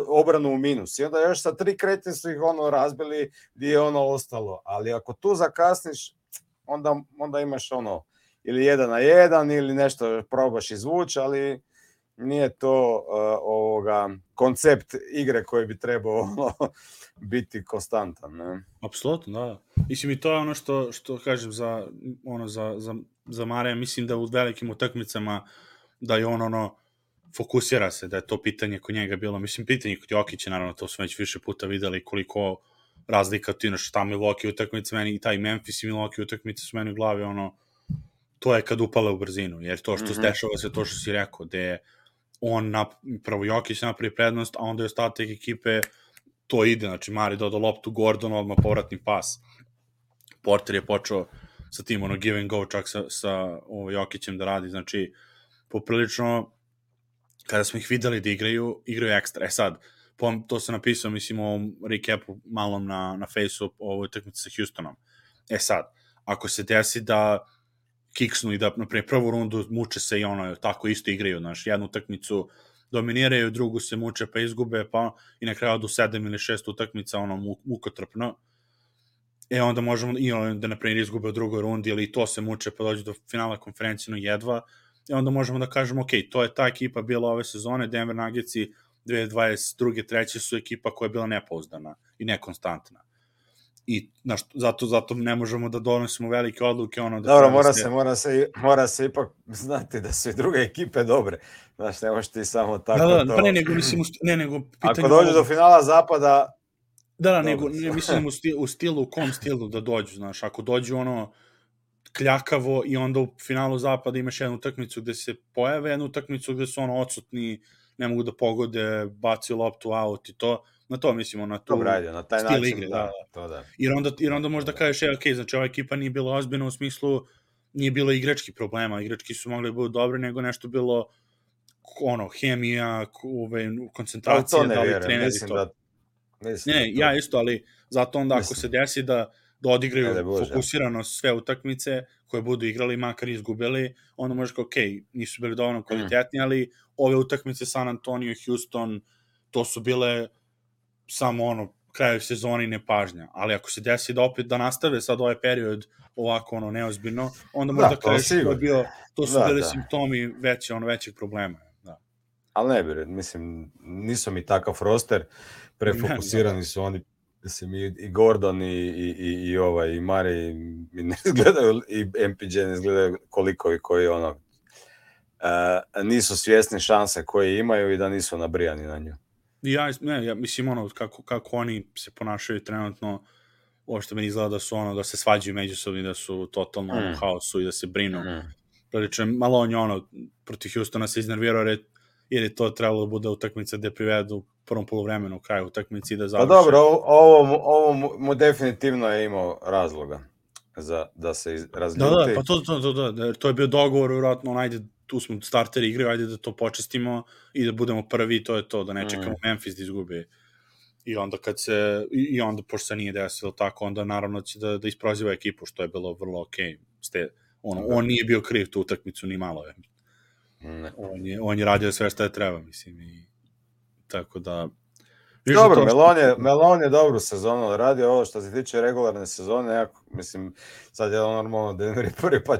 obranu u minus. I onda još sa tri kretnje su ih ono razbili gdje je ono ostalo. Ali ako tu zakasniš, onda, onda imaš ono ili jedan na jedan ili nešto probaš izvući, ali nije to uh, ovoga koncept igre koji bi trebao ono, biti konstantan, ne? Apsolutno, da. Mislim i to je ono što što kažem za ono za za za Mareja, mislim da u velikim utakmicama da je on ono fokusira se, da je to pitanje kod njega bilo, mislim pitanje kod Jokića, naravno to smo već više puta videli koliko razlika tu inače ta Milwaukee utakmica meni i taj Memphis i Milwaukee utakmice su meni u glavi ono to je kad upale u brzinu, jer to što mm-hmm. dešava se to što si rekao, da je on nap, prvo Jokić napravi prednost, a onda je ostatak ekipe to ide, znači Mari dodao loptu, Gordon odmah povratni pas. Porter je počeo sa tim ono give and go čak sa, sa ovo, Jokićem da radi, znači poprilično kada smo ih videli da igraju, igraju ekstra. E sad, to sam napisao, mislim, u ovom recapu malom na, na Faceu o ovoj utakmici sa Houstonom. E sad, ako se desi da kiksnu i da, naprimjer, prvu rundu muče se i ono, tako isto igraju, znaš, jednu utakmicu dominiraju, drugu se muče pa izgube, pa i na kraju do sedam ili šest utakmica, ono, mukotrpno. E, onda možemo, i ono, da, naprimjer, izgube u drugoj rundi, ili to se muče pa dođe do finala konferencijno jedva, i onda možemo da kažemo, ok, to je ta ekipa bila ove sezone, Denver Nuggetsi dve hiljade dvadeset druge treće su ekipa koja je bila nepouzdana i nekonstantna. I znaš, zato, zato ne možemo da donosimo velike odluke. Ono, da Dobro, mora se, se, mora, se, mora se ipak znati da su i druge ekipe dobre. Znaš, ne možeš ti samo tako da, da, to... Pa ne, nego, mislim, ne, nego ako dođu do finala zapada... Da, da, nego, ne, mislim u stilu, u stilu, u kom stilu da dođu, znaš, ako dođu ono kljakavo i onda u finalu zapada imaš jednu utakmicu gde se pojave, jednu utakmicu gde su ono odsutni, ne mogu da pogode, baci loptu out i to, na to mislimo, na tu Dobre, ajde, na taj stil način, igre, da, da. To da. Jer onda, jer onda možda kažeš, e, ok, znači ova ekipa nije bila ozbiljna u smislu, nije bilo igrački problema, igrački su mogli da budu dobri, nego nešto bilo ono, hemija, ove, koncentracija, da li treneri to. Da, mislim ne, da to... ja isto, ali zato onda mislim. ako se desi da da odigraju ne, Bože, fokusirano sve utakmice koje budu igrali, makar izgubili, onda možeš kao, ok, nisu bili dovoljno kvalitetni, mm. ali ove utakmice San Antonio, Houston, to su bile samo ono, kraju sezoni i nepažnja. Ali ako se desi da opet da nastave sad ovaj period ovako ono neozbiljno, onda možda da, kažeš to, bio, to su da, bili da. simptomi veće, ono, većeg problema. Da. Ali ne bi, mislim, nisu mi takav roster, prefokusirani su oni. Mislim, i, i Gordon i, i, i, i ovaj, i Mari mi ne izgledaju, i M P J ne izgledaju koliko i koji ono, uh, nisu svjesni šanse koje imaju i da nisu nabrijani na nju. Ja, ne, ja mislim, ono, kako, kako oni se ponašaju trenutno, ovo što meni izgleda da su ono, da se svađaju međusobno i da su totalno mm. u haosu i da se brinu. Mm. Prilično, malo on je ono, protiv Houstona se iznervirao jer je to trebalo da bude utakmica gde privedu prvom polovremenu u kraju utakmice i da završe. Pa dobro, ovo, ovo mu definitivno je imao razloga za da se razljuti. Da, da, pa to, to, to, to, to je bio dogovor, vjerojatno, on, ajde, tu smo starteri igraju, ajde da to počestimo i da budemo prvi, to je to, da ne čekamo mm. Memphis da izgubi. I onda kad se, i onda, pošto se nije desilo tako, onda naravno će da, da isproziva ekipu, što je bilo vrlo okej. Okay. Ono, on nije bio kriv tu utakmicu, ni malo je. Ne. On je, on je radio sve što je treba, mislim. I, tako da... Dobro, Melon je, Melon je dobru sezonu odradio, ovo što se tiče regularne sezone, ja, mislim, sad je normalno Denver je prvi, pa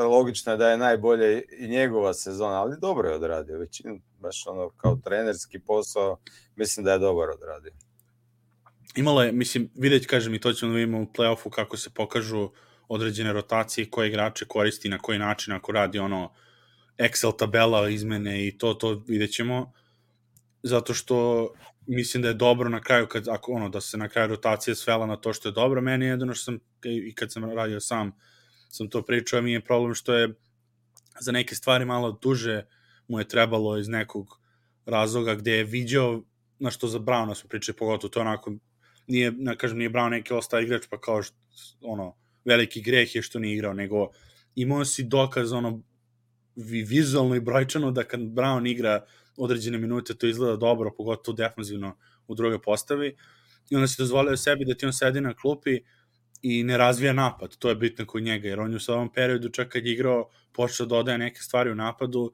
logično je da je najbolje i njegova sezona, ali dobro je odradio, većinu, baš ono kao trenerski posao, mislim da je dobar odradio. Imalo je, mislim, vidjeti, kažem, i to ćemo da vidimo u play-offu kako se pokažu određene rotacije, koje igrače koristi, na koji način, ako radi ono Excel tabela, izmene i to, to vidjet ćemo, zato što mislim da je dobro na kraju, kad, ako, ono, da se na kraju rotacija svela na to što je dobro. Meni je jedino što sam, i kad sam radio sam, sam to pričao, mi je problem što je za neke stvari malo duže mu je trebalo iz nekog razloga gde je viđao, na što za Browna smo pričali, pogotovo to onako, nije, ne kažem, nije Brown neki ostao igrač, pa kao što, ono, veliki greh je što nije igrao, nego imao si dokaz, ono, vizualno i brojčano da kad Brown igra određene minute, to izgleda dobro, pogotovo defanzivno u drugoj postavi, i onda se dozvolio sebi da ti on sedi na klupi i ne razvija napad, to je bitno kod njega, jer on je u ovom periodu čak kad je igrao počeo da dodaje neke stvari u napadu,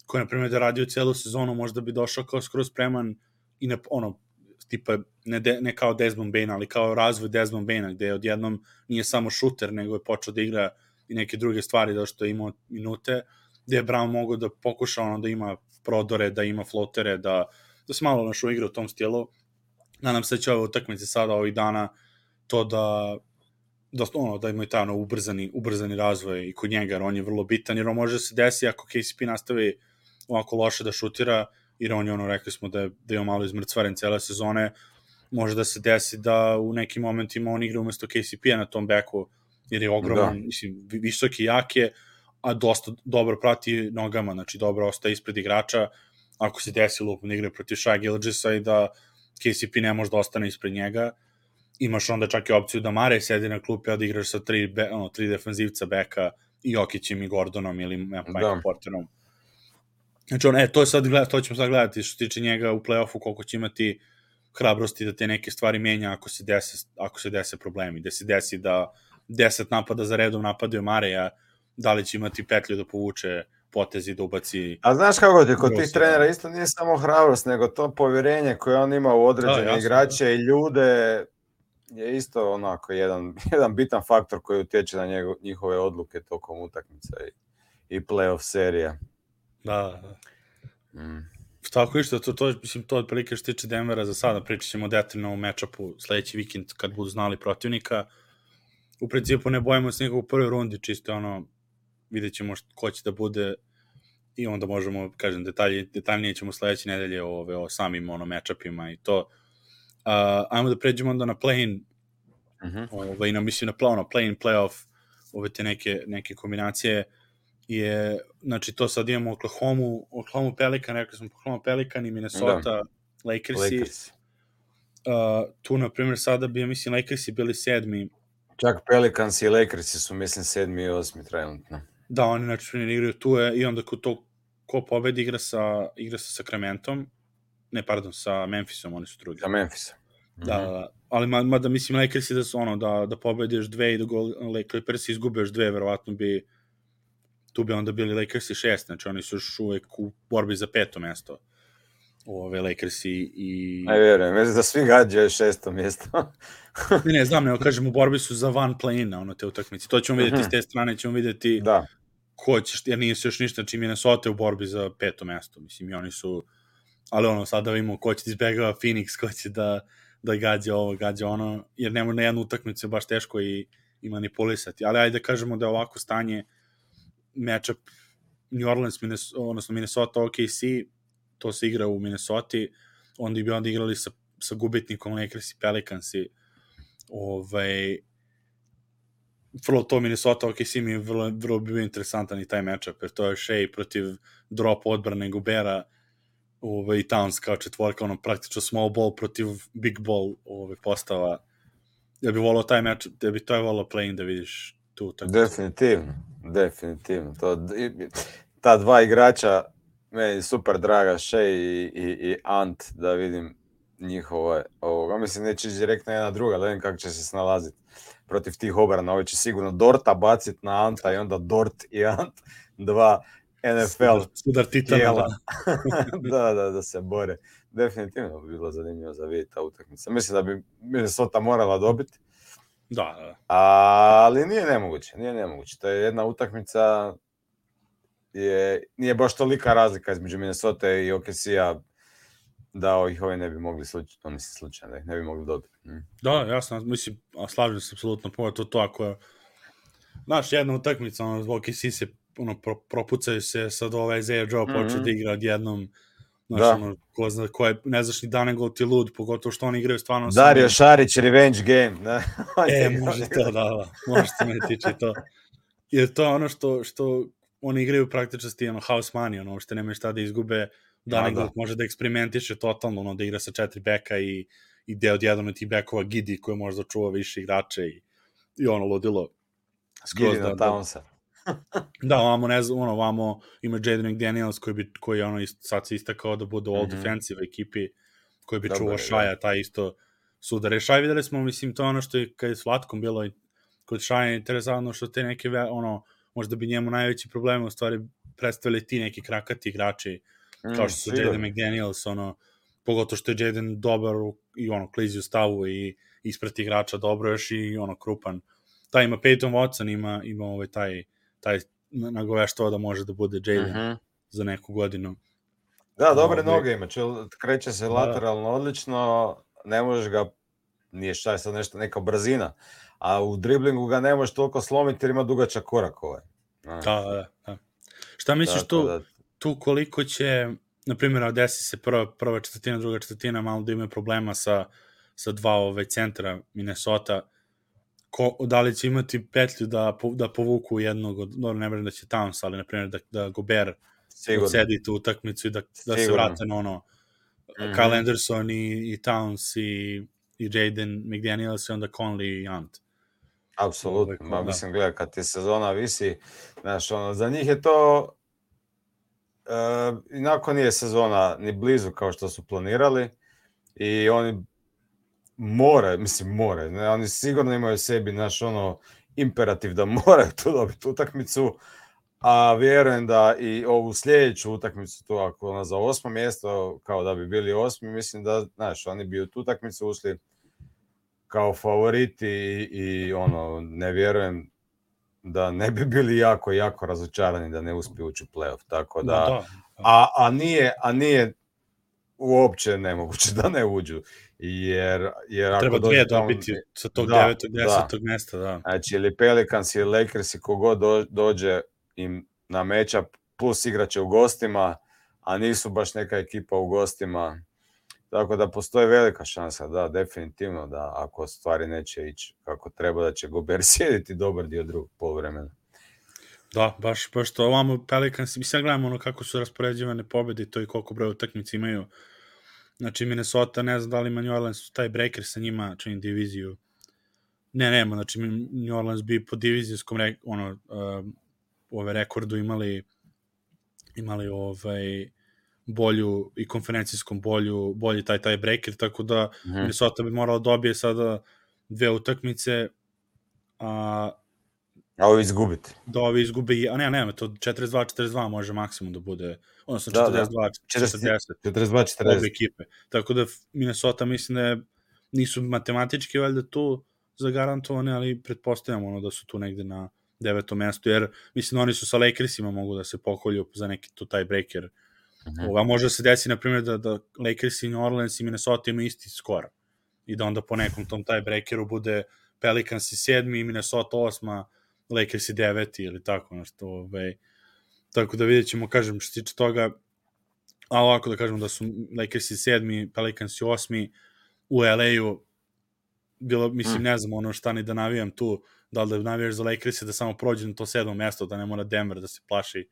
koje, na primjer, da radio celu sezonu, možda bi došao kao skroz spreman i ne, ono, tipa, ne, de, ne kao Desmond Bane, ali kao razvoj Desmond Bane, gde odjednom nije samo šuter, nego je počeo da igra i neke druge stvari, da što je imao minute, gde je Brown mogao da pokuša ono, da ima prodore, da ima flotere, da, da se malo našo igra u tom stilu. Nadam se da će ove utakmice sada, ovih dana, to da da, ono, da imaju taj ono, ubrzani, ubrzani razvoj i kod njega, jer on je vrlo bitan, jer on može se desi ako K C P nastavi ovako loše da šutira, jer on je, ono, rekli smo da je, da je malo izmrcvaren cele sezone, može da se desi da u nekim momentima on igra umesto K C P-a na tom beku, jer je ogroman, da. Mislim, visoki, jak je, a dosta dobro prati nogama, znači dobro ostaje ispred igrača, ako se desi lupno igra protiv Shai Gilgeousa i da K C P ne može da ostane ispred njega, imaš onda čak i opciju da Mare sedi na klupi, a da igraš sa tri, be, ono, tri defanzivca beka i Jokićem i Gordonom ili Michael Porterom. Znači, on, e, to, je sad, to ćemo sad gledati što se tiče njega u play-offu, koliko će imati hrabrosti da te neke stvari menja ako se dese, ako se dese problemi. Da se desi da deset napada za redom napadaju Mareja, da li će imati petlju da povuče potezi, da ubaci... A znaš kako ti, kod tih trenera isto nije samo hrabrost, nego to povjerenje koje on ima u određene da, igrače da. I ljude je isto onako jedan, jedan bitan faktor koji utječe na njego, njihove odluke tokom utakmica i, i play-off serija. Da, da. Mm. Tako išto, to, to, mislim, to otprilike što tiče Denvera za sada, pričat ćemo detaljno u matchupu sledeći vikend kad budu znali protivnika. U principu ne bojimo se nikog u prvoj rundi, čisto ono, vidjet ćemo ko će da bude i onda možemo, kažem, detalje, detaljnije ćemo sledeće nedelje o, ove, o samim ono, matchupima i to. Uh, ajmo da pređemo onda na play-in, uh-huh. ove, na, mislim na ono, play-in, play-off, ove te neke, neke kombinacije. Je, znači to sad imamo Oklahoma, Oklahoma Pelican, rekli smo Oklahoma Pelican i Minnesota, da. Lakersi. Lakers. Uh, tu, na primjer, sada bi, ja mislim, Lakersi bili sedmi. Čak Pelicans i Lakersi su, mislim, sedmi i osmi trenutno. Da, oni, znači, ne igraju tu je, i onda ko, to, ko pobedi igra sa, igra sa Sacramentom, ne, pardon, sa Memphisom, oni su drugi. Sa Memphisom. Da, mm-hmm. da, ali mada, ma, mislim, Lakersi da su ono, da, da pobediš dve i da go, Clippersi izgube još dve, verovatno bi tu bi onda bili Lakersi šest, znači oni su još uvek u borbi za peto mesto. Ove Lakersi i... Ne vjerujem, već da svi gađaju šesto mjesto. ne, ne, znam, nego kažem, u borbi su za van play-ina, ono, te utakmice. To ćemo vidjeti s te strane, ćemo vidjeti da. Ko će, jer nije se još ništa, znači Minnesota u borbi za peto mesto, mislim, i oni su, ali ono, sada vidimo ko će da izbegava Phoenix, ko će da, da gađa ovo, gađa ono, jer nema na jednu utakmicu baš teško i, i manipulisati, ali ajde da kažemo da je ovako stanje matchup New Orleans, Minnesota, odnosno Minnesota O K C, to se igra u Minnesota, onda bi onda igrali sa, sa gubitnikom Lakers i Pelicans i ovaj, vrlo to Minnesota O K C mi je vrlo, vrlo bio interesantan i taj matchup, jer to je Shea protiv drop odbrane Gobera ovaj, i Towns kao četvorka, ono praktično small ball protiv big ball ovaj, postava. Ja bih volao taj matchup, ja bih to je volao play-in da vidiš tu. Tako. Definitivno, definitivno. To, ta dva igrača, meni super draga, Shea i, i, i Ant, da vidim njihova ovoga. Mislim, neće direktno jedna druga, da vidim kako će se snalaziti protiv tih obrana. Ovo će sigurno Dorta baciti na Anta i onda Dort i Ant, dva N F L sudar, sudar titana, tijela. da. da, da, da se bore. Definitivno bi bilo zanimljivo za vidjeti ta utakmica. Mislim da bi Minnesota morala dobiti. Da, da. Ali nije nemoguće, nije nemoguće. To je jedna utakmica, je, nije baš tolika razlika između Minnesota i O K C-a da ih ove ne bi mogli slučajno, mislim slučajno, da ih ne bi mogli dobiti. Mm. Da, jasno, mislim, slažem se apsolutno, pogotovo to ako je, znaš, jedna utakmica, ono, O K C se, ono, pro, propucaju se, sad ovaj Isaiah Joe počeo mm-hmm. da igra odjednom, znaš, da. Ono, ko zna, ko je, ne znaš ni Danegol ti lud, pogotovo što oni igraju stvarno... Dario Šarić, revenge game, ne? E, može to, da, da, može se me tiče to. Jer to ono što, što oni igraju praktično sti, ono, house money, ono, što nemaju šta da izgube, Danegol da, da. može da eksperimentiše totalno, ono, da igra sa četiri beka i, i gde odjednom ti bekova Gidi koji može da čuva više igrače i, i ono, ludilo. Gidi na Townsa. Da, ovamo, ne znam, ono, ovamo ima Jaden McDaniels koji, bi, koji ono, sad se istakao da bude u all mm-hmm. defensive ekipi, koji bi čuvao Šaja, da. Taj isto sudare. Šaj videli smo, mislim, to je ono što je kad je s Vlatkom bilo i kod Šaja interesantno što te neke, ono, možda bi njemu najveći problem u stvari predstavili ti neki krakati igrači, mm, kao što su sigurno. Jaden McDaniels, ono, pogotovo što je Jaden dobar u, i ono, klizi u stavu i isprati igrača dobro još i ono, krupan. Taj ima Peyton Watson, ima, ima ovaj taj taj nagoveštava da može da bude Jalen uh-huh. za neku godinu. Da, dobre no, noge ima, kreće se lateralno da. Odlično, ne možeš ga, nije šta je sad nešto, neka brzina, a u driblingu ga ne možeš toliko slomiti jer ima dugačak korak ovaj. Da, da, da. Šta misliš da, tu, da. tu koliko će, na primjer, desi se prva, prva četvrtina, druga četvrtina, malo da imaju problema sa, sa dva ove centra Minnesota, Ko, da li će imati petlju da, da povuku jednog od, no, ne vrem da će Towns, ali na primjer da, da Gobert odsedi tu utakmicu i da, da se vrate na ono mm-hmm. Kyle Anderson i, i Towns i, i Jaden McDaniels i onda Conley i Ant. Apsolutno, ma mislim, gledaj, kad ti sezona visi, znaš, ono, za njih je to uh, inako nije sezona ni blizu kao što su planirali i oni more, mislim more, ne, oni sigurno imaju sebi naš ono imperativ da moraju tu dobiti utakmicu, a vjerujem da i ovu sljedeću utakmicu tu ako ona za osmo mjesto, kao da bi bili osmi, mislim da, znaš, oni bi u tu utakmicu ušli kao favoriti i, i ono, ne vjerujem da ne bi bili jako, jako razočarani da ne uspiju ući u play-off, tako da, da, da. A, a nije, a nije uopće nemoguće da ne uđu. Jer, jer ako treba dvije dobiti sa tog devetog desetog mjesta, da. Znači, ili Pelicans ili Lakers i kogod do, dođe im na matchup, plus igraće u gostima, a nisu baš neka ekipa u gostima. Tako da postoji velika šansa, da, definitivno, da ako stvari neće ići kako treba, da će Gobert sjediti dobar dio drugog poluvremena. Da, baš, baš to ovamo Pelicans, mislim, gledamo ono kako su raspoređivane pobjede i to i koliko broja utakmice imaju. Znači, Minnesota, ne znam da li ima New Orleans taj breaker sa njima, čini diviziju. Ne, nema, znači New Orleans bi po divizijskom re, ono, uh, ove rekordu imali imali ovaj bolju i konferencijskom bolju, bolji taj taj breaker, tako da mm-hmm. Minnesota bi morala dobije sada dve utakmice, a a ovi izgubiti. Da ovi izgubi, a ne, ne, to četrdeset dva četrdeset dva može maksimum da bude, odnosno četrdeset dva četrdeset četrdeset dva četrdeset obe ekipe. Tako da Minnesota mislim da nisu matematički valjda tu zagarantovane, ali pretpostavljamo ono da su tu negde na devetom mestu, jer mislim da oni su sa Lakersima mogu da se pokolju za neki tu taj breaker. Mm-hmm. Ova može se desi, na primjer, da, da Lakers i New Orleans i Minnesota imaju isti skor. I da onda po nekom tom taj breakeru bude Pelicans i sedmi, Minnesota osma, Lakers i deveti ili tako nešto. Ovaj. Tako da vidjet ćemo, kažem, što tiče toga, a ovako da kažem da su Lakers i sedmi, Pelicans i osmi, u L A-u bilo, mislim, mm. ne znam ono šta ni da navijam tu, da li da navijaš za Lakers da samo prođe na to sedmo mesto, da ne mora Denver da se plaši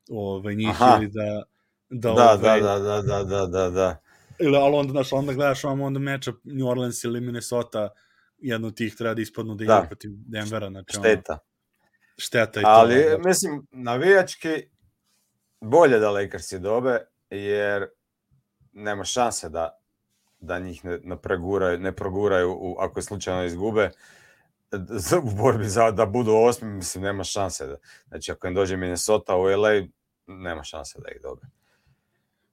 ovaj, njih. Aha. Ili da da, da, ovaj, da, da, da, da, da, da. Ili, ali onda, znaš, onda gledaš vam onda meča New Orleans ili Minnesota, jedno od tih treba da ispadnu da igra protiv Denvera. Znači, šteta. Ono, šteta i ali, to. Ali, mislim, navijački bolje da Lakersi dobe, jer nema šanse da da njih ne, ne, preguraju, ne proguraju u, ako je slučajno izgube u borbi za da budu osmi, mislim, nema šanse. Da. Znači, ako im dođe Minnesota u L A, nema šanse da ih dobe.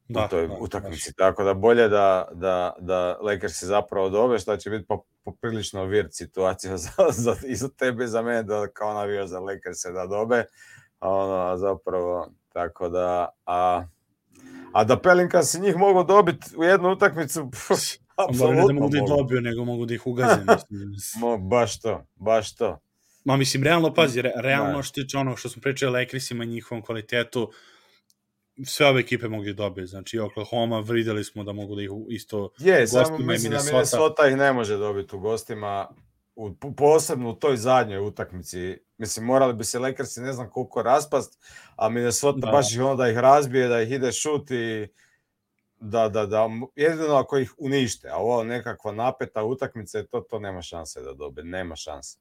Da, u toj da, utakmici. Tako da bolje da, da, da Lakersi zapravo dobe, što će biti poprilično weird situacija za, za, i za tebe i za mene, da kao navio za Lakerse da dobe. A ono, zapravo, tako da... A, a da Pelinkansi njih mogu dobiti u jednu utakmicu, pff, apsolutno ne da mogu da ih mogu. dobiju, nego mogu da ih ugaze. Mo, baš to, baš to. Ma mislim, realno, pazi, re, realno što tiče ono što smo pričali o Lakersima i njihovom kvalitetu, sve ove ekipe mogu da dobiju. Znači, Oklahoma, videli smo da mogu da ih isto je, samo mislim da Minnesota ih ne može dobiti u gostima, u, posebno u toj zadnjoj utakmici. Mislim, morali bi se Lakersi ne znam koliko raspast, a Minnesota da. baš ih ono da ih razbije, da ih ide šut i da, da, da, jedino ako ih unište, a ovo nekakva napeta utakmica, to, to nema šanse da dobe, nema šanse.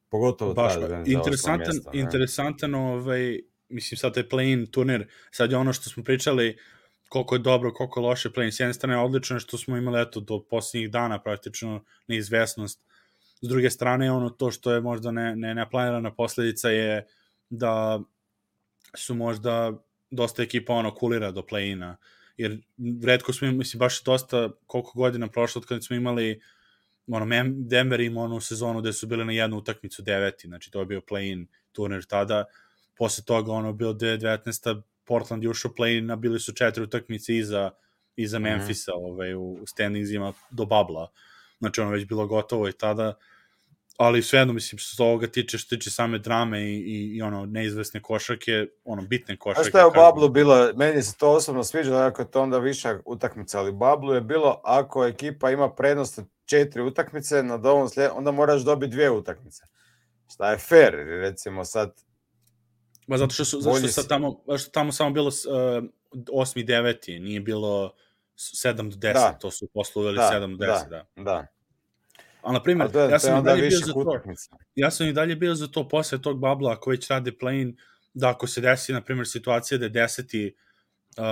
Pogotovo baš, taj interesantan, mjesta, interesantan ovaj, mislim sad taj play-in turnir, sad je ono što smo pričali koliko je dobro, koliko je loše play-in, s jedne strane odlično je što smo imali eto do posljednjih dana praktično neizvesnost, s druge strane ono to što je možda ne, ne, neplanirana posljedica je da su možda dosta ekipa ono kulira do play-ina, jer redko smo, mislim, baš dosta koliko godina prošlo od kada smo imali ono, Denver ima onu sezonu gde su bili na jednu utakmicu deveti, znači to je bio play-in turnir tada, posle toga ono bilo dve hiljade devetnaeste. Portland je ušao play-in, a bili su četiri utakmice iza, iza mm-hmm. Memphisa ovaj, u, u standingsima do babla, znači ono već bilo gotovo i tada, ali svejedno mislim što se ovoga tiče, što tiče same drame i, i, i ono neizvesne košarke, ono bitne košarke. A što je u bablu bilo, meni se to osobno sviđa, ako je to onda viša utakmica, ali u bablu je bilo ako ekipa ima prednost četiri utakmice, na dovom slijed, onda moraš dobiti dvije utakmice. Šta je fair, recimo sad... Ba zato što su, zato što sad tamo, što tamo samo bilo uh, osmi deveti, nije bilo sedam do deset, da. To su posle uveli da, sedam do deset, da. Da, da. A na primjer, je, ja sam i dalje bio za to, utakmica. ja sam i dalje bio za to posle tog babla, ako već rade play-in, da ako se desi, na primjer, situacija da je deseti Uh,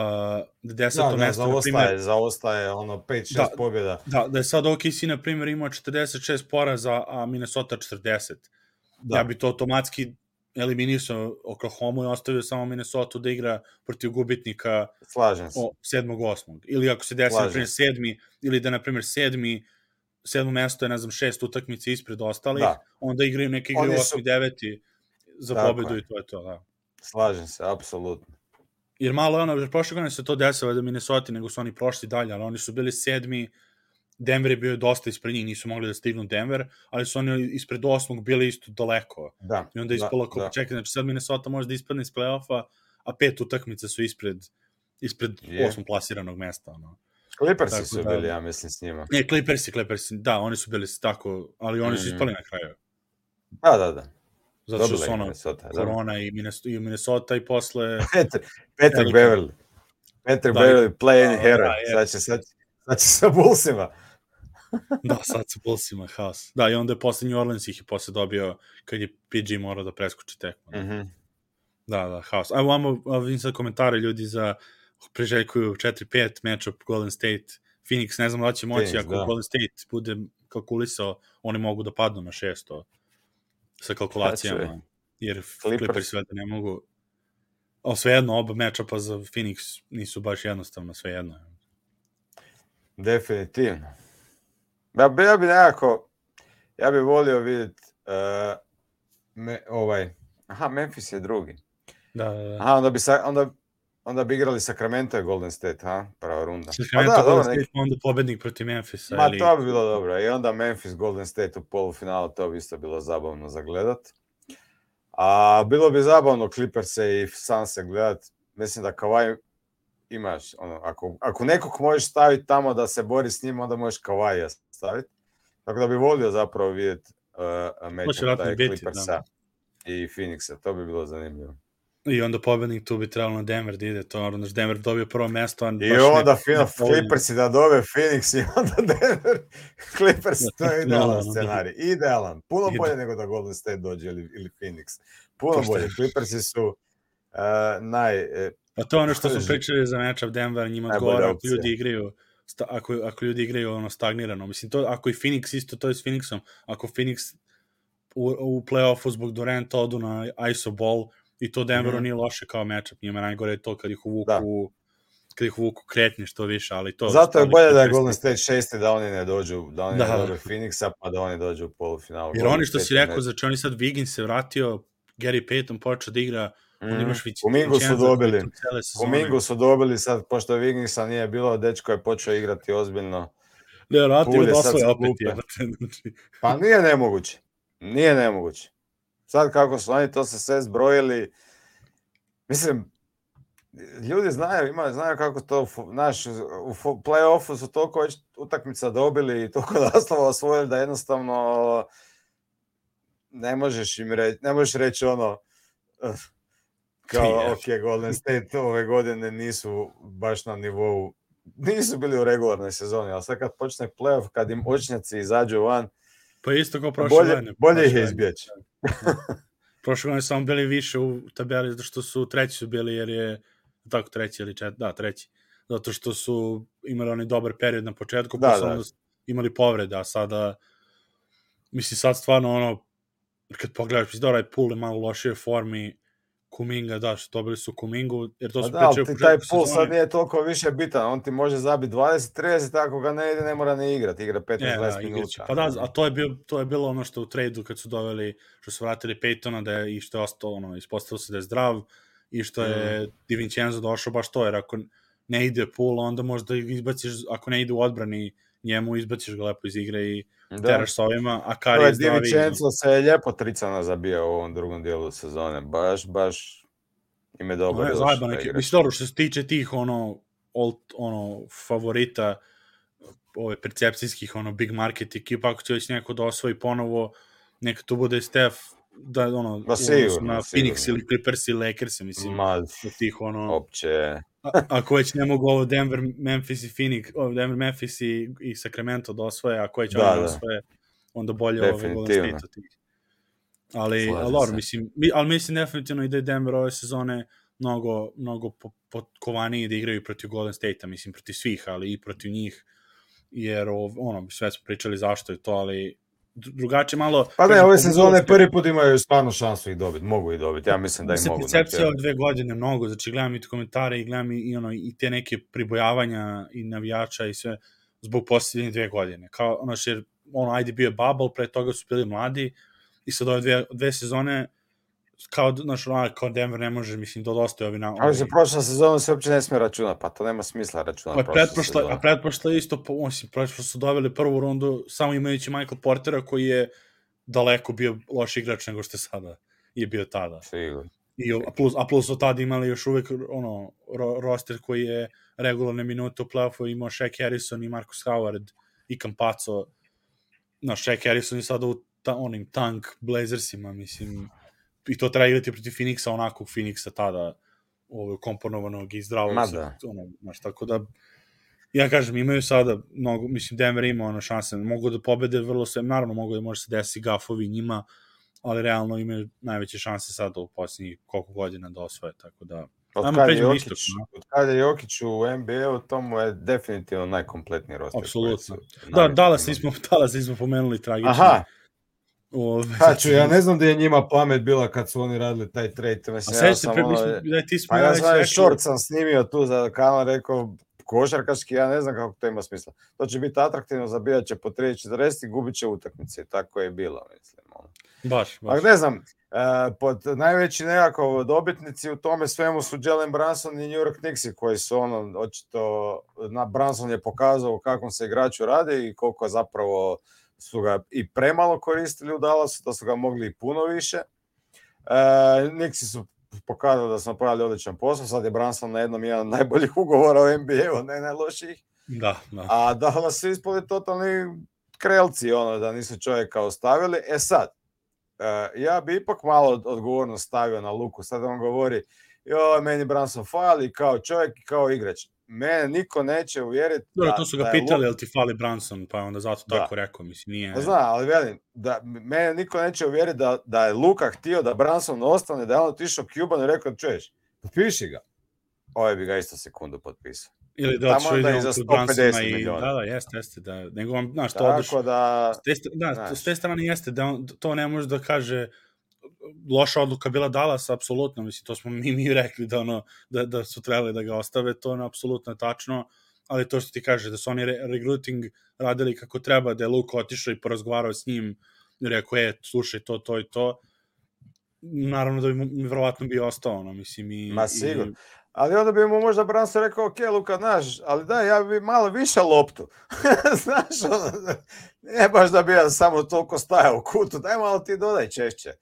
da deseto da, mesto, da, zaostaje, zaostaje ono pet šest da, pobjeda. Da, da je sad O K C, na primjer, imao četrdeset šest poraza, a Minnesota četrdeset. Da. Ja bi to automatski eliminisao Oklahoma i ostavio samo Minnesota da igra protiv gubitnika sedmog osmog. Ili ako se desi, na primjer, sedmi, ili da, na primjer, sedmi, sedmo mesto je, ne znam, šest utakmice ispred ostalih, da. Onda igraju neki igraju osmi, deveti za pobjedu i to je to, da. Slažem se, apsolutno. Jer malo je ono, jer prošle godine se to desilo da Minnesota, nego su oni prošli dalje, ali oni su bili sedmi, Denver je bio dosta ispred njih, nisu mogli da stignu Denver, ali su oni ispred osmog bili isto daleko. Da, I onda je ispalo kao, čekaj, znači sad Minnesota može da ispadne iz play-offa, a pet utakmice su ispred, ispred yeah. osmog plasiranog mesta. Ono. Clippersi tako, su da, bili, ja mislim, s njima. Ne, Clippersi, Clippersi, da, oni su bili tako, ali oni su mm. ispali na kraju. Da, da, da. Zato što su ono, Minnesota, korona i Minnesota, i Minnesota i posle... Patrick Beverly. Patrick da, Beverly, play-in hero. Da, sad će, sad, sad će sa Bullsima. Da, sad sa Bullsima, haos. Da, i onda je posle New Orleans ih i posle dobio kad je P G morao da preskoči tekmu. Mm-hmm. Da, da, haos. Ajmo, vamo, vidim sad komentare ljudi za priželjkuju četiri pet matchup Golden State, Phoenix, ne znam da će moći, Phoenix, ako da. Golden State bude kalkulisao, oni mogu da padnu na šesto. Sa kalkulacijama, jer Clippers sve da ne mogu, ali svejedno, oba matchupa za Phoenix nisu baš jednostavno, svejedno. Definitivno. Ja bi, ja bi nekako, ja bi volio vidjeti uh, me, ovaj, aha, Memphis je drugi. Da, da, da. Aha, onda bi, sa, onda, onda bi igrali Sacramento i Golden State, ha, prva runda. Sacramento da, Golden State, neki... onda pobednik protiv Memphisa. Ma ili... to bi bilo dobro, i onda Memphis, Golden State u polufinalu, to bi isto bilo zabavno za gledat. A bilo bi zabavno Clippers-e i Sunse gledat, mislim da Kawhi imaš, ono, ako, ako nekog možeš staviti tamo da se bori s njim, onda možeš Kawhija staviti. Tako da bi volio zapravo vidjeti uh, matchup taj Clippersa i Phoenixa, to bi bilo zanimljivo. I onda pobednik tu bi trebalo na Denver da ide, to naravno, Denver dobio prvo mesto. I onda Clippersi da dobe Phoenix i onda Denver, Clippers, to je idealan scenarij, idealan, puno Ide. bolje nego da Golden State dođe ili, ili Phoenix, puno Pošto bolje, Clippersi su uh, naj... Uh, pa to je ono što smo pričali za matchup Denver, njima odgovara ako ljudi igraju, sta, ako, ako ljudi igraju ono stagnirano, mislim, to, ako i Phoenix isto, to je s Phoenixom, ako Phoenix u, u play-offu zbog Duranta odu na I S O ball, I to Denveru Mhm. nije loše kao matchup, njima najgore je to kad ih uvuku, Da. kad ih uvuku kretnje što više, ali to... Zato je ali bolje da je Clippersi- Golden State šesti, da oni ne dođu, da oni Da. ne dobe Phoenixa, pa da oni dođu u polufinalu. Jer Golden oni što si State je rekao, znači oni sad Wiggins se vratio, Gary Payton počeo da igra, Mhm. onda imaš Vic- Kumingu su Vincenza koji dobili. je tu cele sezone. Kumingu su dobili sad, pošto Wigginsa nije bilo, dečko je počeo igrati ozbiljno. Ne, vratio Poole da je sad osvoje sa opet klupe. jebate. Znači, Pa nije nemoguće. Nije nemoguće. Sad kako su oni to se sve zbrojili, mislim, ljudi znaju, ima, znaju kako to, fu- naš, u fu- play-offu su toliko već utakmica dobili i toliko naslova osvojili da jednostavno ne možeš im reći, ne možeš reći ono, eh, kao, Je. ok, Golden State ove godine nisu baš na nivou, nisu bili u regularnoj sezoni, ali sad kad počne play-off, kad im očnjaci izađu van, Pa isto kao prošle bolje, godine. bolje prošle ih je godine. izbjeći. Prošle godine samo bili više u tabeli, zato što su treći su bili, jer je tako treći ili čet, da, treći. Zato što su imali oni dobar period na početku, Da, pa su da. onda imali povrede, a sada, mislim, sad stvarno ono, kad pogledaš, mislim, da ovaj Poole je malo u lošijoj formi, Kuminga, da, što dobili su Kumingu, jer to Pa su da, ali pričali u ti taj početku pul sad sezone. nije toliko više bitan, on ti može zabiti dvadeset trideset, ako ga ne ide, ne mora ne igrati, igra E, petnaest da, dvadeset igraće. minuta. Pa da, a to je, bio, to je bilo ono što u tradu kad su doveli, što su vratili Paytona da je, i što je ostalo, ono, ispostavilo se da je zdrav i što je Mm. Di Vincenzo došao baš to, jer ako ne ide Poole, onda možda izbaciš, ako ne ide u odbrani njemu, izbaciš ga lepo iz igre i Da. teraš sa ovima, a To Kari je je Di zdravi. Vincenzo se je lijepo tricana zabija u ovom drugom dijelu sezone, baš, baš im je dobar Ne, još zajeba da neki, igraš. mislim, dobro, što se tiče tih, ono, old, ono, favorita, ove percepcijskih, ono, big market ekipa, ako će već neko da osvoji ponovo, neka tu bude Steph, da, ono, Ma u sigurno, odnosu na sigurno. Phoenix ili Clippers ili Lakers, mislim, Ma, od tih, ono, opće, a, ako već ne mogu ovo Denver, Memphis i Phoenix, ovo Denver, Memphis i, i Sacramento da osvoje, ako već Da, oni da da. osvoje, onda bolje ove Golden Definitivno. State od tih. Ali, Slažem ali, dobro, se. mislim, mi, ali mislim definitivno i da je Denver ove sezone mnogo, mnogo po, potkovaniji da igraju protiv Golden State-a, mislim, protiv svih, ali i protiv njih, jer, ono, sve smo pričali zašto je to, ali drugačije malo... Pa ne, kažem, ove pogledao sezone sam- prvi put imaju stvarno šansu ih dobiti, mogu ih dobiti, ja mislim da ih Mislim, mogu. percepcija znači, ove dve godine mnogo, znači gledam i te komentare i gledam i, i, ono, i te neke pribojavanja i navijača i sve zbog posljednje dve godine. Kao, ono, jer, ono, ajde bio je bubble, pre toga su bili mladi i sad ove dve, dve sezone kao, znaš, ono, kao Denver ne može, mislim, da dostaje ovi na... ali se prošla sezona se uopće ne smije računati, pa to nema smisla računati A prošla pretprošla, sezona. a pretprošla je isto, po- osim, pretprošla su doveli prvu rundu samo imajući Michael Portera koji je daleko bio loš igrač nego što je sada je bio tada. Sigurno. I, a, plus, a plus od tada imali još uvek ono, ro, roster koji je regularne minute u play-offu imao Shaq Harrison i Marcus Howard i Campazzo. No, Shaq Harrison je sada u ta, onim tank Blazersima, mislim, i to treba igrati protiv Phoenixa, onakvog Phoenixa tada, ovo, komponovanog i zdravog. Ma sa- da. ono, znaš, tako da, ja kažem, imaju sada, mnogo, mislim, Denver ima ono šanse, mogu da pobede vrlo sve, naravno mogu da može se desi gafovi njima, ali realno imaju najveće šanse sada u posljednjih koliko godina da osvoje, tako da... Od Ajmo kad, je pređemo na Jokić, istok, no? od kad je Jokić u N B A-u, to mu je definitivno najkompletniji roster. Apsolutno. koji su Da, navikli Dallas imati. nismo, Dallas nismo pomenuli tragično. Aha, Ove, Haču, ja ne znam da je njima pamet bila kad su oni radili taj trade. A Mislim, sve ja se sam pre, ono, mi smo, da ti smo pa ja već sam rekli- short sam snimio tu za kanal, rekao košarkaški, ja ne znam kako to ima smisla. To će biti atraktivno, zabijat će po trideset četrdeset i gubit će utakmice. Tako je bilo, mislim. Ono. Baš, baš. Ali ne znam, uh, pod najveći nekako dobitnici u tome svemu su Jalen Brunson i New York Knicksi koji su ono, očito, na Brunson je pokazao kakvom se igraču radi i koliko zapravo su ga i premalo koristili u Dallasu, da su ga mogli i puno više. Uh, Knicksi su pokazali da su napravili odličan posao, sad je Brunson na jednom jedan od najboljih ugovora u N B A-u, ne najlošijih. Da, da. A Dallas su ispali totalni krelci, ono, da nisu čovjeka ostavili. E sad, uh, ja bi ipak malo odgovornost stavio na Luku. Sad on govori, joj, meni Brunson fali kao čovjek i kao igrač. Mene niko neće uvjeriti Dobro, da, to su ga da je pitali, Luka- jel ti fali Brunson, pa je onda zato Da. tako rekao, mislim, nije... Pa zna, ali velim, da mene niko neće uvjeriti da, da je Luka htio da Brunson ostane, da je on otišao Cubanu i rekao, čuješ, potpiši ga. Ovaj bi ga isto sekundu potpisao. Ili da Tamo otišao onda ide i on za kod sto Brunsona pedeset i... miliona. Da, da, jeste, jeste, da, nego on, znaš, to odeš... Tako da, S te, st- da, znaš. s te strane jeste, da on, to ne može da kaže, loša odluka bila Dallas, apsolutno, mislim, to smo mi, mi rekli da, ono, da, da su trebali da ga ostave, to je apsolutno tačno, ali to što ti kaže, da su oni re recruiting radili kako treba, da je Luka otišao i porazgovarao s njim i rekao, e, slušaj, to, to i to, naravno da bi mu verovatno bio ostao, ono, mislim, i... Ma sigurno. I... Ali onda bi mu možda Brunson rekao, ok, Luka, znaš, ali da, ja bi malo više loptu. Znaš, ono, ne baš da bi ja samo toliko stajao u kutu, daj malo ti dodaj češće.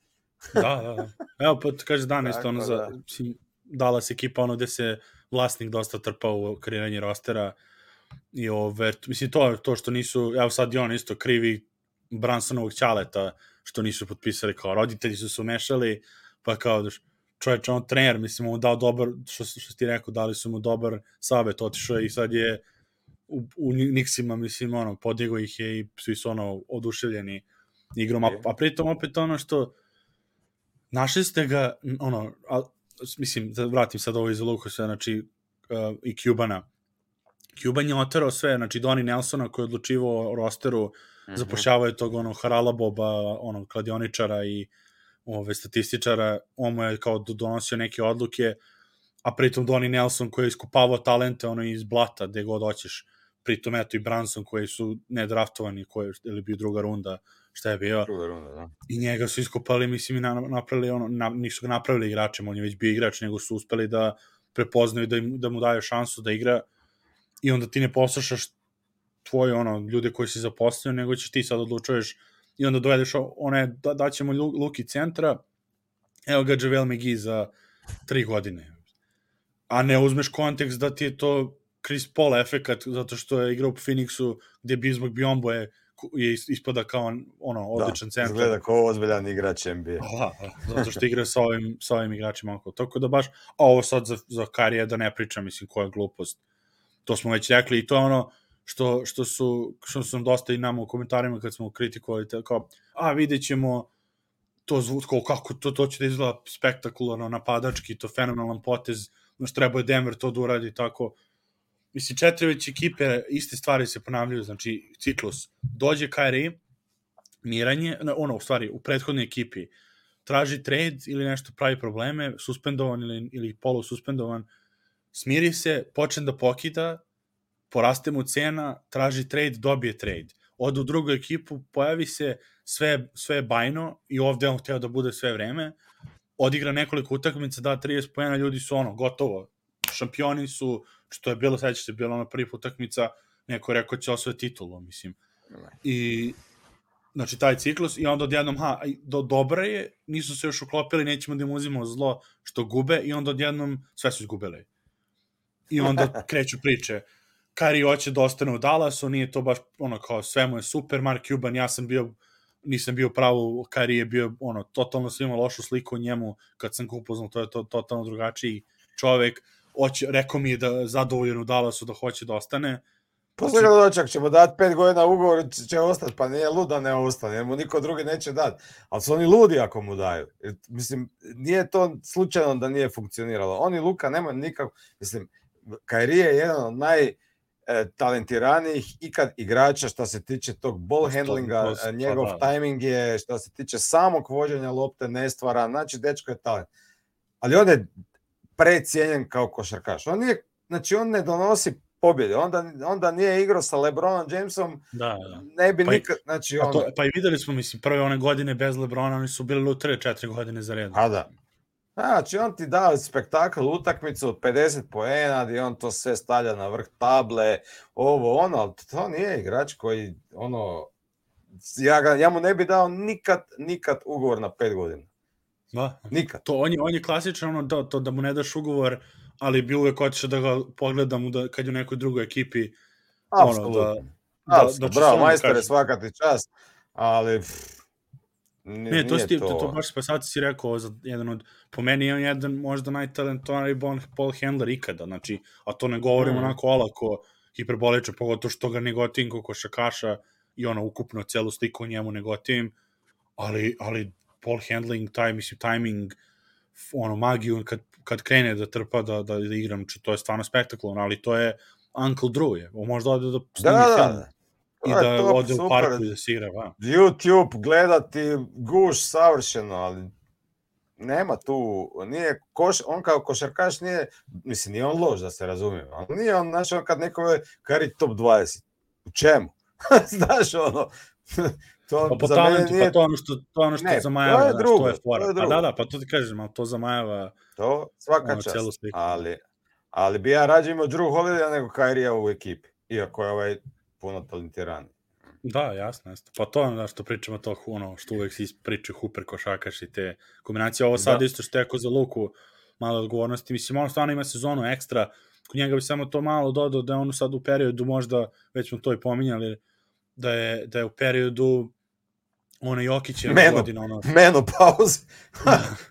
Da, da, da. Evo, pa kaže dan isto, ono, za, da. Mislim, Dallas ekipa, ono, gde se vlasnik dosta trpao u kreiranje rostera i ove, mislim, to, to što nisu, evo sad i on isto krivi Brunsonovog ćaleta, što nisu potpisali, kao roditelji su se umešali, pa kao, čovječ, on trener, mislim, mu dao dobar, što, što ti rekao, dali su mu dobar savjet, otišao je i sad je u, u Knicksima, mislim, ono, podigao ih je i svi su, ono, oduševljeni igrom, a, a pritom opet ono što našli ste ga, ono, a, mislim, da vratim sad ovo iz Lukusa, znači, uh, i Cubana. Cuban je oterao sve, znači, Donnie Nelsona koji je odlučivao o rosteru, mm-hmm. zapošljavao je tog, ono, Haralaboba, ono, kladioničara i ove statističara, on mu je kao donosio neke odluke, a pritom Donnie Nelson koji je iskupavao talente ono iz blata, gde god hoćeš, pritom eto i Brunson koji su nedraftovani, koji ili bio druga runda, šta je bio, druga runda, da. I njega su iskopali, mislim, i napravili ono, na, nisu ga napravili igračem, on je već bio igrač, nego su uspeli da prepoznaju da, im, da mu daju šansu da igra i onda ti ne poslušaš tvoje ono, ljude koji si zaposlio, nego ćeš ti sad odlučuješ i onda dovedeš one, da, daćemo Luki centra, evo ga JaVale McGee za tri godine. A ne uzmeš kontekst da ti je to Chris Paul efekat, zato što je igrao u Phoenixu, gde Bismack Biyombo je, je ispada kao ono, odličan da, centar. Da, izgleda kao ozbiljan igrač N B A. Da, zato što igra sa ovim, sa ovim igračima. Tako da baš, a ovo sad za, za Karija da ne pričam, mislim, koja je glupost. To smo već rekli i to je ono, što, što su, što su nam dosta i nama u komentarima kad smo kritikovali, kao, a vidjet ćemo to zvuko, kako to, to će da izgleda spektakularno, napadački, to fenomenalan potez, znaš, treba je Denver to da uradi, tako. Mislim, četiri već ekipe, iste stvari se ponavljaju, znači, ciklus. Dođe Kyrie, miranje, ono, u stvari, u prethodnoj ekipi, traži trade ili nešto pravi probleme, suspendovan ili, ili polususpendovan, smiri se, počne da pokida, poraste mu cena, traži trade, dobije trade. Ode u drugu ekipu, pojavi se sve, sve bajno i ovde on hteo da bude sve vreme, odigra nekoliko utakmica, da trideset poena, ljudi su ono, gotovo, šampioni su, što je bilo, sećaš se, bilo ono prvi utakmica, neko je rekao će osvoje titulu, mislim. I, znači, taj ciklus, i onda odjednom, ha, do, dobra je, nisu se još uklopili, nećemo da im uzimamo zlo što gube, i onda odjednom sve su izgubili. I onda kreću priče, Kyrie hoće da ostane u Dallasu, nije to baš ono kao sve mu je super, Mark Cuban, ja sam bio, nisam bio pravo, Kyrie je bio ono, totalno svima lošu sliku o njemu, kad sam ga upoznao, to je to, totalno drugačiji čovek, hoće, rekao mi je da zadovoljen u Dallasu, da hoće da ostane. Posle ga dočak, ćemo dati pet godina ugovor, će ostati, pa nije luda ne ostane, jer mu niko drugi neće dati, ali su oni ludi ako mu daju. Mislim, nije to slučajno da nije funkcioniralo. Oni Luka nema nikako, mislim, Kyrie je jedan od naj talentiranijih ikad igrača što se tiče tog ball handlinga, njegov timing je, što se tiče samog vođenja lopte nestvara, znači dečko je talent. Ali on je precijenjen kao košarkaš. On nije, znači on ne donosi pobjede, onda, onda nije igrao sa LeBronom Jamesom, da, da. Ne bi pa nikad, znači on... To, pa i videli smo, mislim, prve one godine bez LeBrona, oni su bili lutre četiri godine za redom. A da. Znači, on ti da spektakl, utakmicu od pedeset poena, gdje on to sve stavlja na vrh table, ovo, ono, ali to nije igrač koji, ono, ja, ga, ja mu ne bi dao nikad, nikad ugovor na pet godina. Da. Nikad. To, on, je, on je klasičan, ono, da, to, da mu ne daš ugovor, ali bi uvek hoćeš da ga pogledam da, kad je u nekoj drugoj ekipi. Apsolutno. Ono, da, da, da bravo, majstore, svaka ti čast, ali... Pff, Ne, ne to, sti, to... to baš pa sad si rekao, za jedan od, po meni je on jedan možda najtalentovaniji ball handler ikada, znači, a to ne govorim mm. onako olako hiperbolično, pogotovo što ga ne gotivim kao košarkaša i ono ukupno celu sliku njemu ne gotivim, ali, ali ball handling, taj, mislim, timing, ono, magiju, kad, kad krene da trpa da, da, da igram, či, to je stvarno spektakularno, ali to je Uncle Drew je, on možda ode da snimi da, film. Da. I da ode u parku i da se igra, va. YouTube gledati guš savršeno, ali nema tu, nije koš, on kao košarkaš nije, mislim, nije on loš da se razumije, ali nije on, znaš, on kad neko je kari top dvadeset, u čemu? Znaš, ono, to pa po za talentu, mene nije... pa to ono što, to ono što ne, zamajava, to je znaš, drugo, to je fora. to je Pa drugo. da, da, pa to ti kažem, ali to zamajava to svaka ono, čast, celu sliku. ali, ali bi ja rađe imao Drew Holidaya nego Kyrie'a u ekipi, iako je ovaj puno talentiran. Da, jasno, jasno. Pa to je ono što pričamo, to ono što uvek si pričaju Hooper, košarkaš i te kombinacije. Ovo sad Da. isto što je ako za Luku malo odgovornosti. Mislim, ono stvarno ima sezonu ekstra. Kod njega bi samo to malo dodao da je ono sad u periodu, možda, već smo to i pominjali, da je, da je u periodu ono Jokićeva Menu, godina. Ono... menopauze.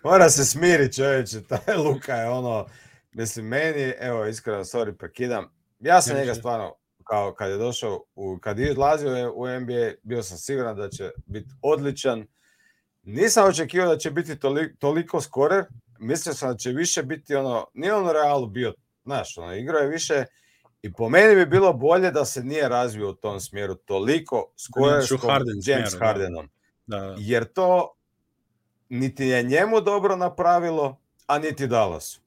Mora se smiri, čovječe. Taj Luka je ono... Mislim, meni, evo, iskreno, sorry, prekidam. Ja sam Ja, njega še. stvarno, kao kad je došao, u, kad je odlazio u N B A, bio sam siguran da će biti odličan. Nisam očekivao da će biti toliko, toliko skorer. Mislio sam da će više biti ono, nije on u Realu bio, znaš, ono, igrao je više i po meni bi bilo bolje da se nije razvio u tom smjeru toliko skorerskom James smjeru, Hardenom. Da. Da. Jer to niti je njemu dobro napravilo, a niti Dallasu.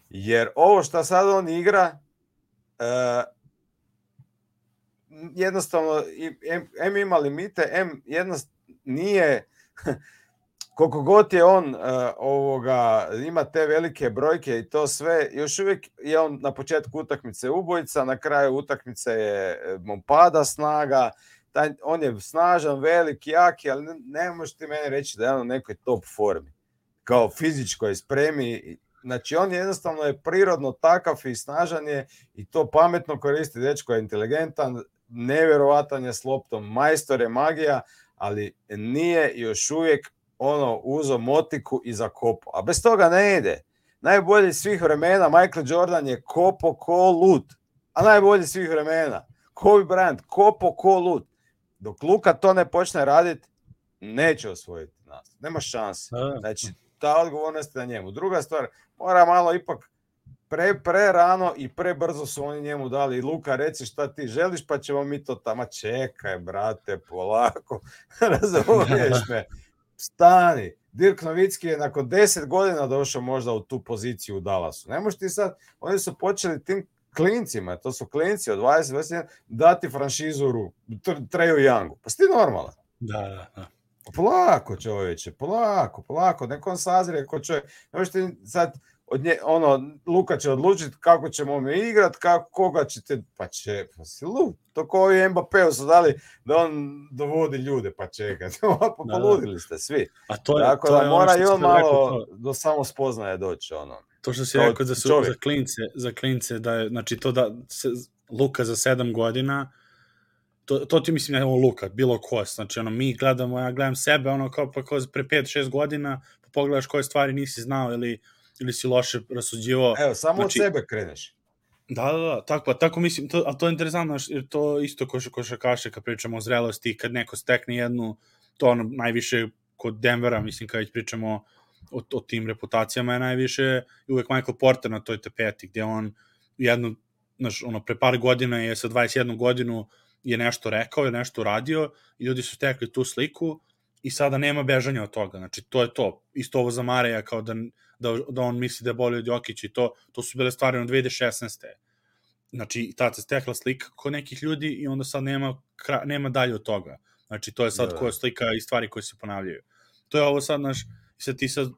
Jer ovo što sad on igra, uh, jednostavno, em, em ima limite, em jednostavno nije, koliko god je on uh, ovoga, ima te velike brojke i to sve, još uvijek je on na početku utakmice ubojica, na kraju utakmice je mu pada snaga, taj, on je snažan, velik, jaki, ali ne, ne možeš ti meni reći da je on u nekoj top formi, kao fizičkoj spremi. Znači, on jednostavno je prirodno takav i snažan je i to pametno koristi, dečko je inteligentan, nevjerovatan je s loptom, majstor je magija, ali nije još uvijek ono uzo motiku i zakopao. A bez toga ne ide. Najbolji svih vremena, Michael Jordan je kopo ko lud. A najbolji svih vremena, Kobe Bryant, kopo ko lud. Dok Luka to ne počne raditi, neće osvojiti nas. Nema šanse. Znači, ta odgovornost je na njemu. Druga stvar, mora malo ipak pre, pre rano i pre brzo su oni njemu dali. Luka, reci šta ti želiš, pa ćemo mi to tamo. Čekaj, brate, polako. Razumiješ me? Stani. Dirk Novicki je nakon deset godina došao možda u tu poziciju u Dallasu. Ne možeš ti sad, oni su počeli tim klincima, to su klinci od dvadeset dvadeset jedan, dati franšizu ruku, Treju Youngu. Pa si ti normalan? Da, da, da. Polako, čovječe, polako, polako, neko on sazrije ko čovjek. Ne možeš ti sad, od nje, ono, Luka će odlučiti kako ćemo mi igrat, kako, koga ćete, pa će, pa si lud. To kao i Mbappeu su dali da on dovodi ljude, pa čekaj, pa poludili ste svi. A to je, tako to da je mora ono i on malo rekao, do samo spoznaje doći, ono. To što si rekao da su čovjek. za klince, za klince, da je, znači to da se, Luka za sedam godina, to, to ti mislim je ovo Luka, bilo ko, znači ono, mi gledamo, ja gledam sebe, ono kao pa kao pre pet šest godina, pa pogledaš koje stvari nisi znao ili, ili si loše rasuđivao. Evo, samo znači, od sebe kreneš. Da, da, da, tako, pa tako mislim, to, a to je interesantno, jer to isto ko košarkaše kad pričamo o zrelosti, kad neko stekne jednu, to ono najviše kod Denvera, mislim, kad već pričamo o, o tim reputacijama, je najviše uvek Michael Porter na toj tepeti, gdje on jednu, znaš, ono, pre par godina je sa dvadeset jednu godinu je nešto rekao, je nešto uradio i ljudi su stekli tu sliku i sada nema bežanja od toga, znači to je to, isto ovo za Mareja kao da, da, da on misli da je bolji od Jokića i to, to su bile stvari na dve hiljade šesnaeste. Znači, tada se stekla slika kod nekih ljudi i onda sad nema, nema dalje od toga. Znači, to je sad koja slika i stvari koje se ponavljaju. To je ovo sad, naš, i sad ti sad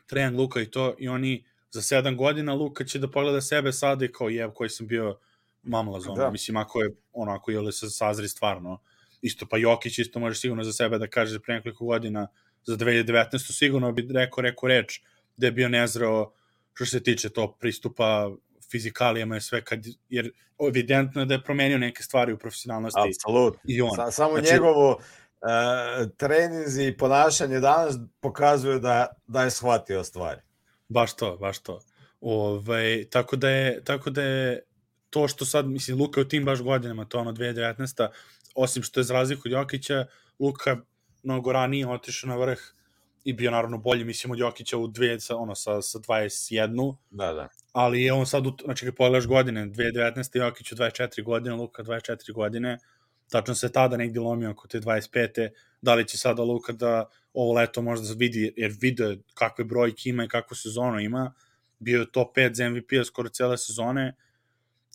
Trajan, Luka i to, i oni za sedam godina Luka će da pogleda sebe sada i kao jev koji sam bio mamlaz, ono, mislim, ako je, ono, ako je li se sazri stvarno, isto, pa Jokić isto može sigurno za sebe da kaže pre nekoliko godina, za dve hiljade devetnaeste sigurno bi rekao, rekao reč, da je bio nezreo što se tiče to pristupa fizikalijama i sve, kad, jer evidentno je da je promenio neke stvari u profesionalnosti. Apsolutno. I on. Sa, samo znači, njegovo uh, treninzi i ponašanje danas pokazuju da, da je shvatio stvari. Baš to, baš to. Ove, tako, da je, tako da je to što sad, mislim, Luka u tim baš godinama, to ono dve hiljade devetnaeste osim što je za razliku od Jokića, Luka mnogo ranije otišao na vrh i bio naravno bolji, mislim, od Jokića u dve, ono, sa, sa dvadeset jednu. Da, da. Ali je on sad, znači, kad pogledaš godine, dve hiljade devetnaeste Jokić u dvadeset četiri godine, Luka dvadeset četiri godine, tačno se tada negdje lomio oko te dvadeset pete Da li će sada Luka da ovo leto možda vidi, jer vide kakve brojke ima i kakvu sezonu ima, bio je top pet za M V P-a skoro cele sezone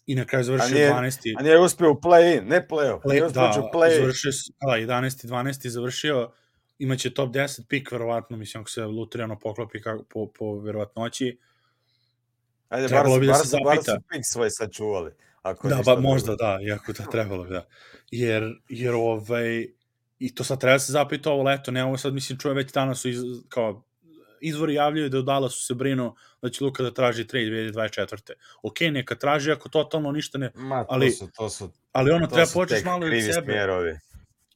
i na kraju završio a nije, dvanaesti A nije uspio u play-in, ne play-off, play, nije uspio da, u play-in. Završio, da, jedanaesti dvanaesti završio, imaće top deset pik, verovatno, mislim, ako se Lutriano poklopi kako, po, po verovatnoći. Ajde, trebalo bi da se zapita. Bar su pik svoj sačuvali. Ako da, ba, možda drugo. Da, iako da trebalo bi, da. Jer, jer ovaj, i to sad treba se zapita ovo leto, ne ovo sad, mislim, čuje već danas su iz, kao, izvori javljaju da u Dallasu se brinu da će Luka da traži trade dve hiljade dvadeset četvrte Ok, neka traži ako totalno ništa ne... Ma, to ali, su, to su, ali ono, to treba početi malo od sebe. Smjerovi.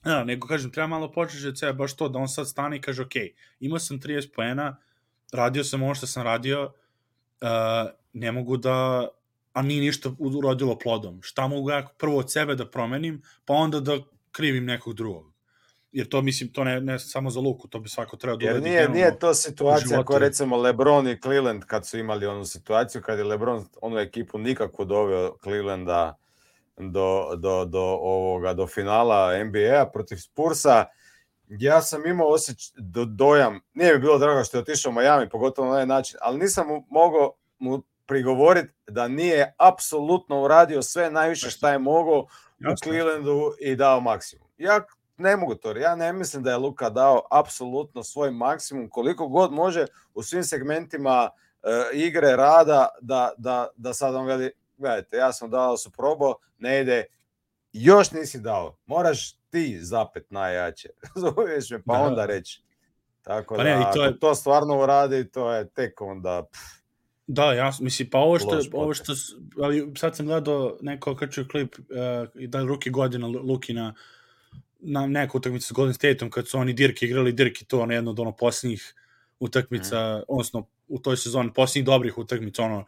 Ja, nego kažem, treba malo početi od sebe, baš to, da on sad stane i kaže, ok, imao sam trideset poena, radio sam ovo što sam radio, uh, ne mogu da, a nije ništa urodilo plodom. Šta mogu ja prvo od sebe da promenim, pa onda da krivim nekog drugog. Jer to, mislim, to ne, ne samo za Luku, to bi svako trebao da uradi. Jer nije, nije to situacija koja recimo LeBron i Cleveland kad su imali onu situaciju, kad je LeBron onu ekipu nikako doveo Clevelanda do, do, do, ovoga, do finala N B A protiv Spursa. Ja sam imao osjeć, do, dojam, nije mi bilo drago što je otišao u Miami, pogotovo na ovaj način, ali nisam mu mogao mu prigovoriti da nije apsolutno uradio sve najviše šta je mogao u Clevelandu i dao maksimum. Ja ne mogu to, ja ne mislim da je Luka dao apsolutno svoj maksimum koliko god može u svim segmentima uh, igre, rada, da, da, da sad on veli, gledajte, ja sam dao su probao, ne ide, još nisi dao, moraš ti zapet najjače, zoveš me, pa da. Onda reći. Tako pa da, ne, ako to, je... to stvarno uradi, to je tek onda... Pff, da, ja mislim, pa ovo što, ovo što sad sam gledao neko kačio klip uh, i da ruki godina Lukina na neku utakmicu s Golden Stateom kad su oni Dirk igrali, Dirk i to ono jedno od ono posljednjih utakmica, mm. odnosno u toj sezoni posljednjih dobrih utakmica, ono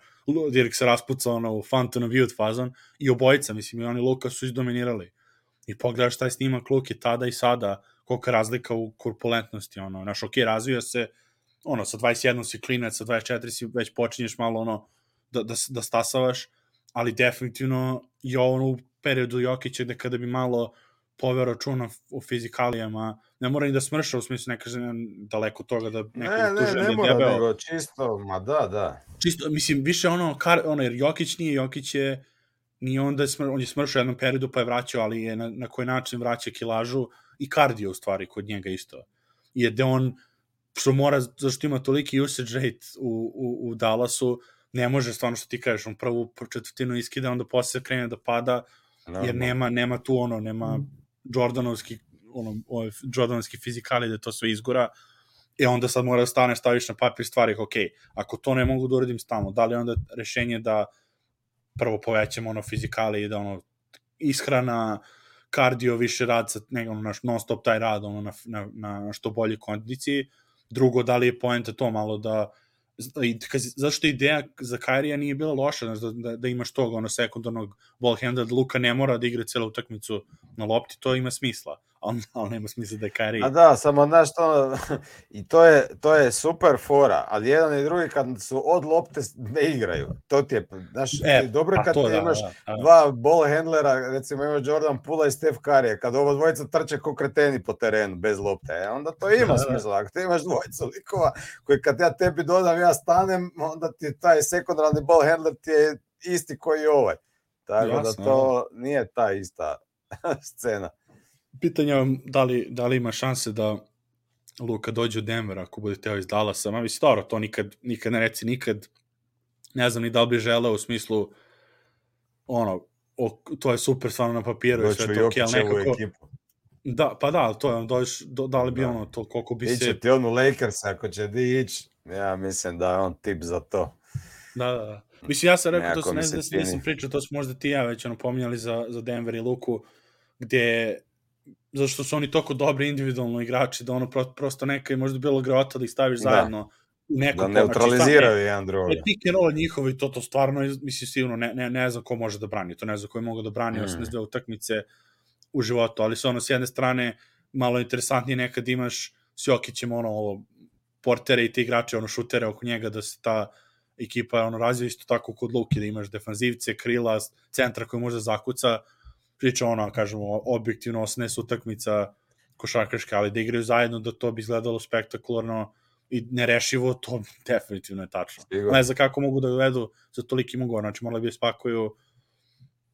Dirk se raspucao ono, u Fountain of Youth fazon i obojica, mislim, i oni Luka su izdominirali. I pogledaš taj snimak Luke tada i sada, kolika razlika u korpulentnosti, ono, naš ok, razvija se, ono, sa dvadeset jedan si klinac, sa dvadeset četiri si već počinješ malo, ono, da, da, da stasavaš, ali definitivno je ono u periodu Jokića gde kada bi malo poveo računa o fizikalijama, ne mora ni da smrša, u smislu ne kažem daleko toga da neko ne, ne, ne, ne mora, debeo. Nego čisto, ma da, da. Čisto, mislim, više ono, kar, ono jer Jokić nije, Jokić je, nije onda, je smr, on je smršao u jednom periodu pa je vraćao, ali je na, na koji način vraća kilažu i kardio u stvari kod njega isto. Je da on, što mora, zašto ima toliki usage rate u, u, u Dallasu, ne može stvarno što ti kažeš, on prvu četvrtinu iskida, onda posle krene da pada, jer nema, nema tu ono, nema Jordanovski, ono, ovaj, Jordanovski fizikali da to sve izgora, i onda sad mora da staneš, staviš na papir stvari, ok, ako to ne mogu da uradim stalno, da li onda rešenje da prvo povećamo ono fizikali i da ono ishrana, kardio, više rad, sa, ne, ono, non stop taj rad, ono, na, na, na što bolji kondiciji, drugo, da li je poenta to malo da i, zašto ideja za Kairija nije bila loša, da, da, da imaš tog ono sekundarnog ball handla, da Luka ne mora da igra celu utakmicu na lopti, to ima smisla, ali, ali nema smisla da je Kairi. A da, samo znaš to, i to je, to je super fora, ali jedan i drugi kad su od lopte ne igraju, to ti je, znaš, e, dobro je kad to, ti da, imaš da, da. dva ball handlera, recimo imaš Jordan Poola i Steph Curry, kad ovo dvojica trče ko kreteni po terenu bez lopte, e, onda to ima da, smisla, ako ti imaš dvojica likova koji kad ja tebi dodam, ja stanem, onda ti taj sekundarni ball handler ti je isti koji i ovaj, tako jasno, da to nije ta ista scena. Pitanje je da li, da li ima šanse da Luka dođe u Denver ako bude teo iz Dallasa. Ma mislim, dobro, to nikad, nikad ne reci nikad. Ne znam ni da li bi želeo u smislu ono, o, to je super stvarno na papiru i sve to, ok, ali nekako... Ekipu. Da, pa da, ali to je, dođeš, do, da li bi da. ono, to koliko bi Iće se... Iće ti on u Lakers, ako će di ići, ja mislim da je on tip za to. Da, da, da. Mislim, ja sam rekao, to sam, ne znam da nisam pričao, to smo možda ti ja već ono pominjali za, za Denver i Luku, gde zašto su oni toliko dobri individualno igrači, da ono prosto neka je možda bilo grota da ih staviš da. zajedno. Neko da neutraliziraju znači, jedan drugi. Pick and roll njihovi, to, to stvarno, mislim, sigurno, ne, ne, ne znam ko može da brani, to ne znam ko je mogo da brani mm. osamdeset dve utakmice u životu, ali su ono, s jedne strane, malo interesantnije nekad imaš s Jokićem, ono, ovo, portere i ti igrače, ono, šutere oko njega, da se ta ekipa, ono, razvija isto tako kod Luke, da imaš defanzivce, krila, centra koji može zakuca, priča ono, kažemo, objektivno osamnaest utakmica košarkaške, ali da igraju zajedno, da to bi izgledalo spektakularno i nerešivo, to definitivno je tačno. Ne znam kako mogu da uvedu za toliki ugovor, znači morali bi spakuju,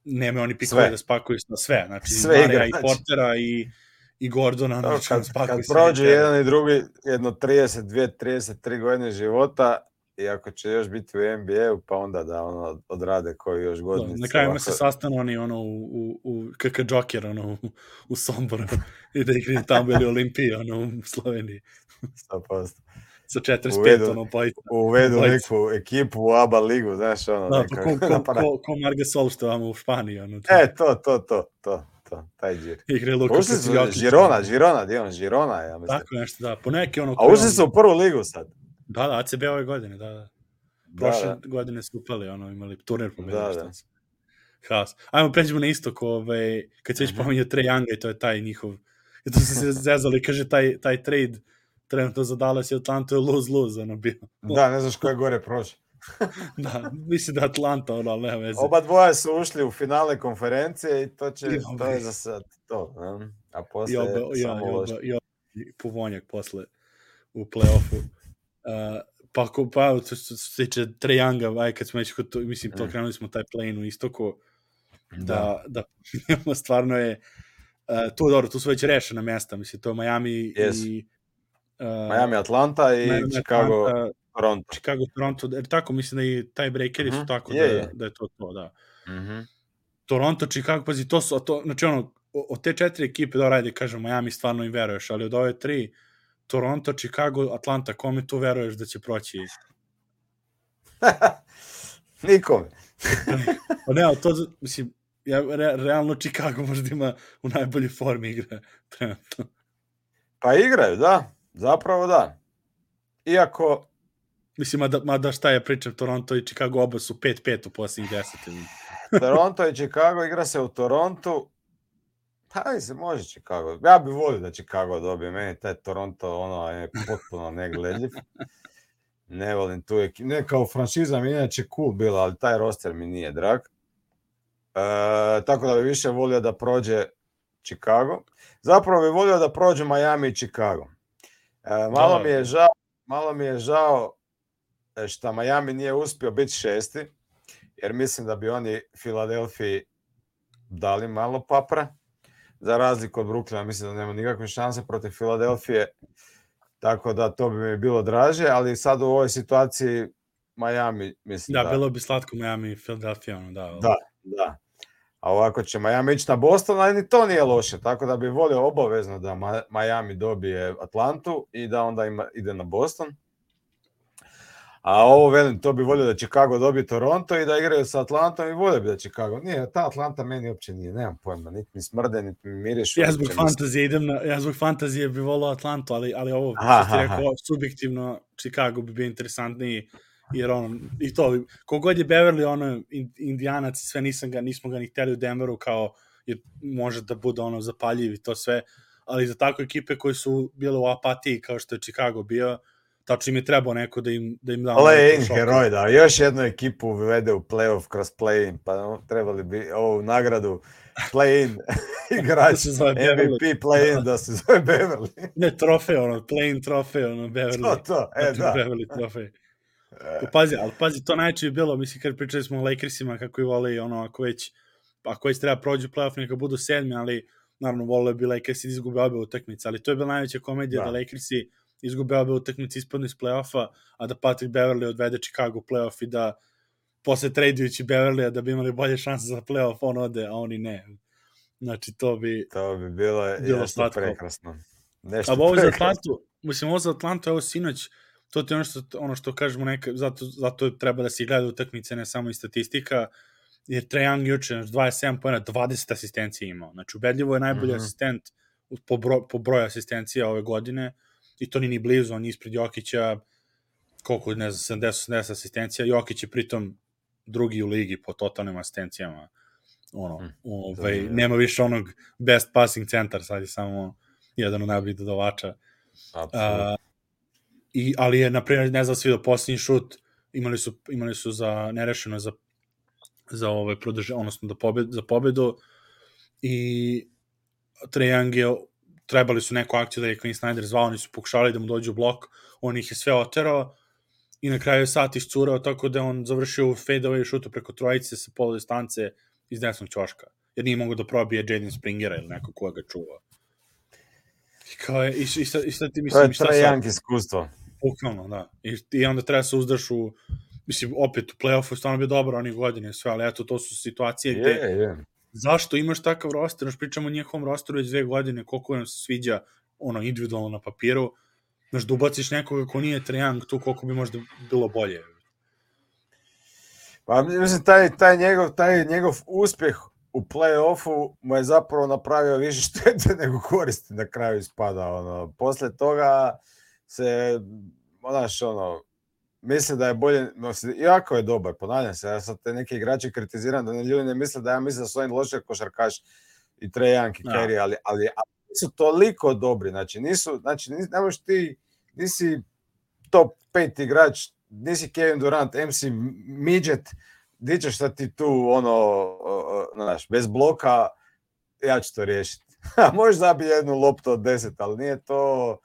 nema oni pikove da spakuju na sve, znači sve Marija i Portera i, i Gordona. To, znači, kad, kad prođe jedan i drugi, jedno trideset dvije trideset tri godine života, i ako će još biti u N B A-u, pa onda da ono odrade koji još godinice. Na kraju se sastanu oni ono u, u, u K K Joker, ono u, u Somboru i da igraju tamo ili Olimpiji, ono u Sloveniji. sto posto Sa četrdeset pet, ono, bojica. Uvedu neku ekipu u A B A ligu, znaš, ono. Da, pa ko, ko, ko, ko Margasol što vam u Španiji, ono. To. E, to, to, to, to, to, taj džir. Igre Luka Jokić. Girona, Girona, gdje on, Girona, ja mislim. Tako nešto, da, po neki ono... A ušli su u prvu ligu sad. Da, da, A C B ove godine, da, da. Prošle da, da. godine su upali, ono, imali turnir pobjede. Da, da. Haos. Ajmo, pređemo na istok, ovaj, kad se već pominjao Trae Younga i to je taj njihov... I to su se zezali, kaže, taj, taj trade trenutno za Dallas i Atlanta je lose-lose, ono, bio. Da, ne znaš ko je gore prošao. Da, mislim da Atlanta, ono, ali nema veze. Oba dvoja su ušli u finale konferencije i to će, I to je za sad to. Um, a posle I oba, samo ja, loše. I oba, i Puvonjak posle u play-offu. Uh, pa, pa što se tiče Trae Younga, aj kad smo već, mislim, to krenuli smo taj play-in u istoku, da, da, da stvarno je, uh, tu dobro, tu su već rešena mesta, mislim, to je Miami yes. i... Uh, Miami, Atlanta i Miami, Chicago, Atlanta, Toronto. Chicago, Toronto, jer tako, mislim da i taj breakeri uh-huh. su tako je, da, je. da je to to, da. Uh-huh. Toronto, Chicago, pazi, to su, to, znači ono, od te četiri ekipe, da radi, kažem, Miami stvarno im veruješ, ali od ove tri, Toronto, Chicago, Atlanta, kome tu veruješ da će proći? Nikome. Pa ne, to, mislim, ja, re, realno Chicago možda ima u najboljoj formi igra trenutno. Pa igraju, da. Zapravo da. Iako... Mislim, mada, mada šta je pričam, Toronto i Chicago oba su pet pet u posljednjih deset. Toronto i Chicago igra se u Torontu. Pa se može Chicago. Ja bih volio da Chicago dobije. Meni taj Toronto ono je potpuno negledljiv. Ne volim tu ekipu. Ne kao franšiza mi inače cool bila, ali taj roster mi nije drag. E, tako da bih više volio da prođe Chicago. Zapravo bih volio da prođe Miami i Chicago. E, malo mi je žao, malo mi je žao što Miami nije uspio biti šesti, jer mislim da bi oni Filadelfiji dali malo papra, za razliku od Brooklyna, mislim da nema nikakve šanse protiv Filadelfije, tako da to bi mi bilo draže, ali sad u ovoj situaciji Miami, mislim da... Da, bilo bi slatko Miami i Filadelfija, ono, da. Da, da. A ovako će Miami ići na Boston, ali ni to nije loše, tako da bi volio obavezno da Miami dobije Atlantu i da onda ima, ide na Boston. A ovo, velim, to bi volio da Chicago dobije Toronto i da igraju sa Atlantom i volio bi da Chicago. Nije, ta Atlanta meni uopće nije, nemam pojma, niti mi smrde, niti mi mirišu. Ja zbog fantazije idem na, ja zbog fantazije bi volio Atlantu, ali, ali ovo, što ti rekao, subjektivno, Chicago bi bio interesantniji, jer ono, i to, kogod je Beverly, ono, Indijanac i sve, nisam ga, nismo ga ni hteli u Denveru, kao, jer može da bude, ono, zapaljiv i to sve, ali za tako ekipe koje su bile u apatiji, kao što je Chicago bio, tačno im je trebao neko da im, da im da... Play-in heroj, da, još jednu ekipu uvede u play-off kroz play-in, pa no, trebali bi ovu nagradu play-in igrač, M V P play-in, da se zove Beverly. Ne, trofej, ono, play-in trofej, ono, Beverly. To, to, e, da. Beverly trofej. Pazi, ali pazi, to najče je bilo, mislim, kad pričali smo o Lakersima, kako i vole, ono, ako već, ako već treba prođu play-off, neka budu sedmi, ali, naravno, vole bi Lakersi da izgube obe utakmice, ali to je bila najveća komedija da, da Lakersi izgube obe utakmice, ispadnu iz play-offa, a da Patrick Beverly odvede Chicago play-off i da posle tradujući Beverlya da bi imali bolje šanse za play-off, on ode, a oni ne. Znači, to bi... To bi bilo, bilo nešto prekrasno. Nešto a ovo za Atlantu, mislim, ovo za Atlantu, evo sinoć, to ti ono što, ono što kažemo neka, zato, zato treba da se gleda utakmice, ne samo i statistika, jer Trae Young juče, znači dvadeset sedam poena, dvadeset asistencija imao. Znači, ubedljivo je najbolji mm-hmm. asistent po, broj, po broju asistencija ove godine, i to ni ni blizu, on je ispred Jokića, koliko, ne znam, sedamdeset osamdeset asistencija, Jokić je pritom drugi u ligi po totalnim asistencijama. Ono, mm, ovaj, nema više onog best passing centar, sad je samo jedan od najboljih dodavača. Uh, i, ali je, naprimjer, ne znam, svi do posljednji šut, imali su, imali su za nerešeno za, za ovaj produže, odnosno da pobed, za pobedu, i Trae Young je, trebali su neku akciju da je Quinn Snyder zvao, oni su pokušali da mu dođu u blok, on ih je sve oterao i na kraju je sat iscurao tako da on završio fade away šutu preko trojice sa polu distance iz desnog ćoška, jer nije mogo da probije Jaden Springera ili neko koga ga čuva. I kao je, i, i, sad, i sad ti mislim... To je Trae Young iskustvo. Bukvalno, da. I, I onda treba se uzdaš u, mislim, opet u play-offu stvarno bio dobar onih godine sve, ali eto, to su situacije gde... Je, je. Zašto imaš takav roster? Znaš, pričamo o njihovom rosteru već dve godine, koliko nam se sviđa ono individualno na papiru. Znaš, da ubaciš nekoga ko nije Trae Young, tu koliko bi možda bilo bolje. Pa mislim, taj, taj, njegov, taj njegov uspjeh u play-offu mu je zapravo napravio više štete nego koristi na kraju ispada. Ono. Posle toga se, znaš, ono, mislim da je bolje, iako je dobar, ponavljam se, ja sad te neki igrači kritiziram da ne ljudi ne misle da ja mislim da su oni loši košarkaši i Trae Young i Curry, ali, ali, ali nisu toliko dobri, znači nisu, znači ne možeš ti, nisi top pet igrač, nisi Kevin Durant, M C Midget, di ćeš sad ti tu, ono, znaš, bez bloka, ja ću to riješiti. Možeš zabiti jednu loptu od deset, ali nije to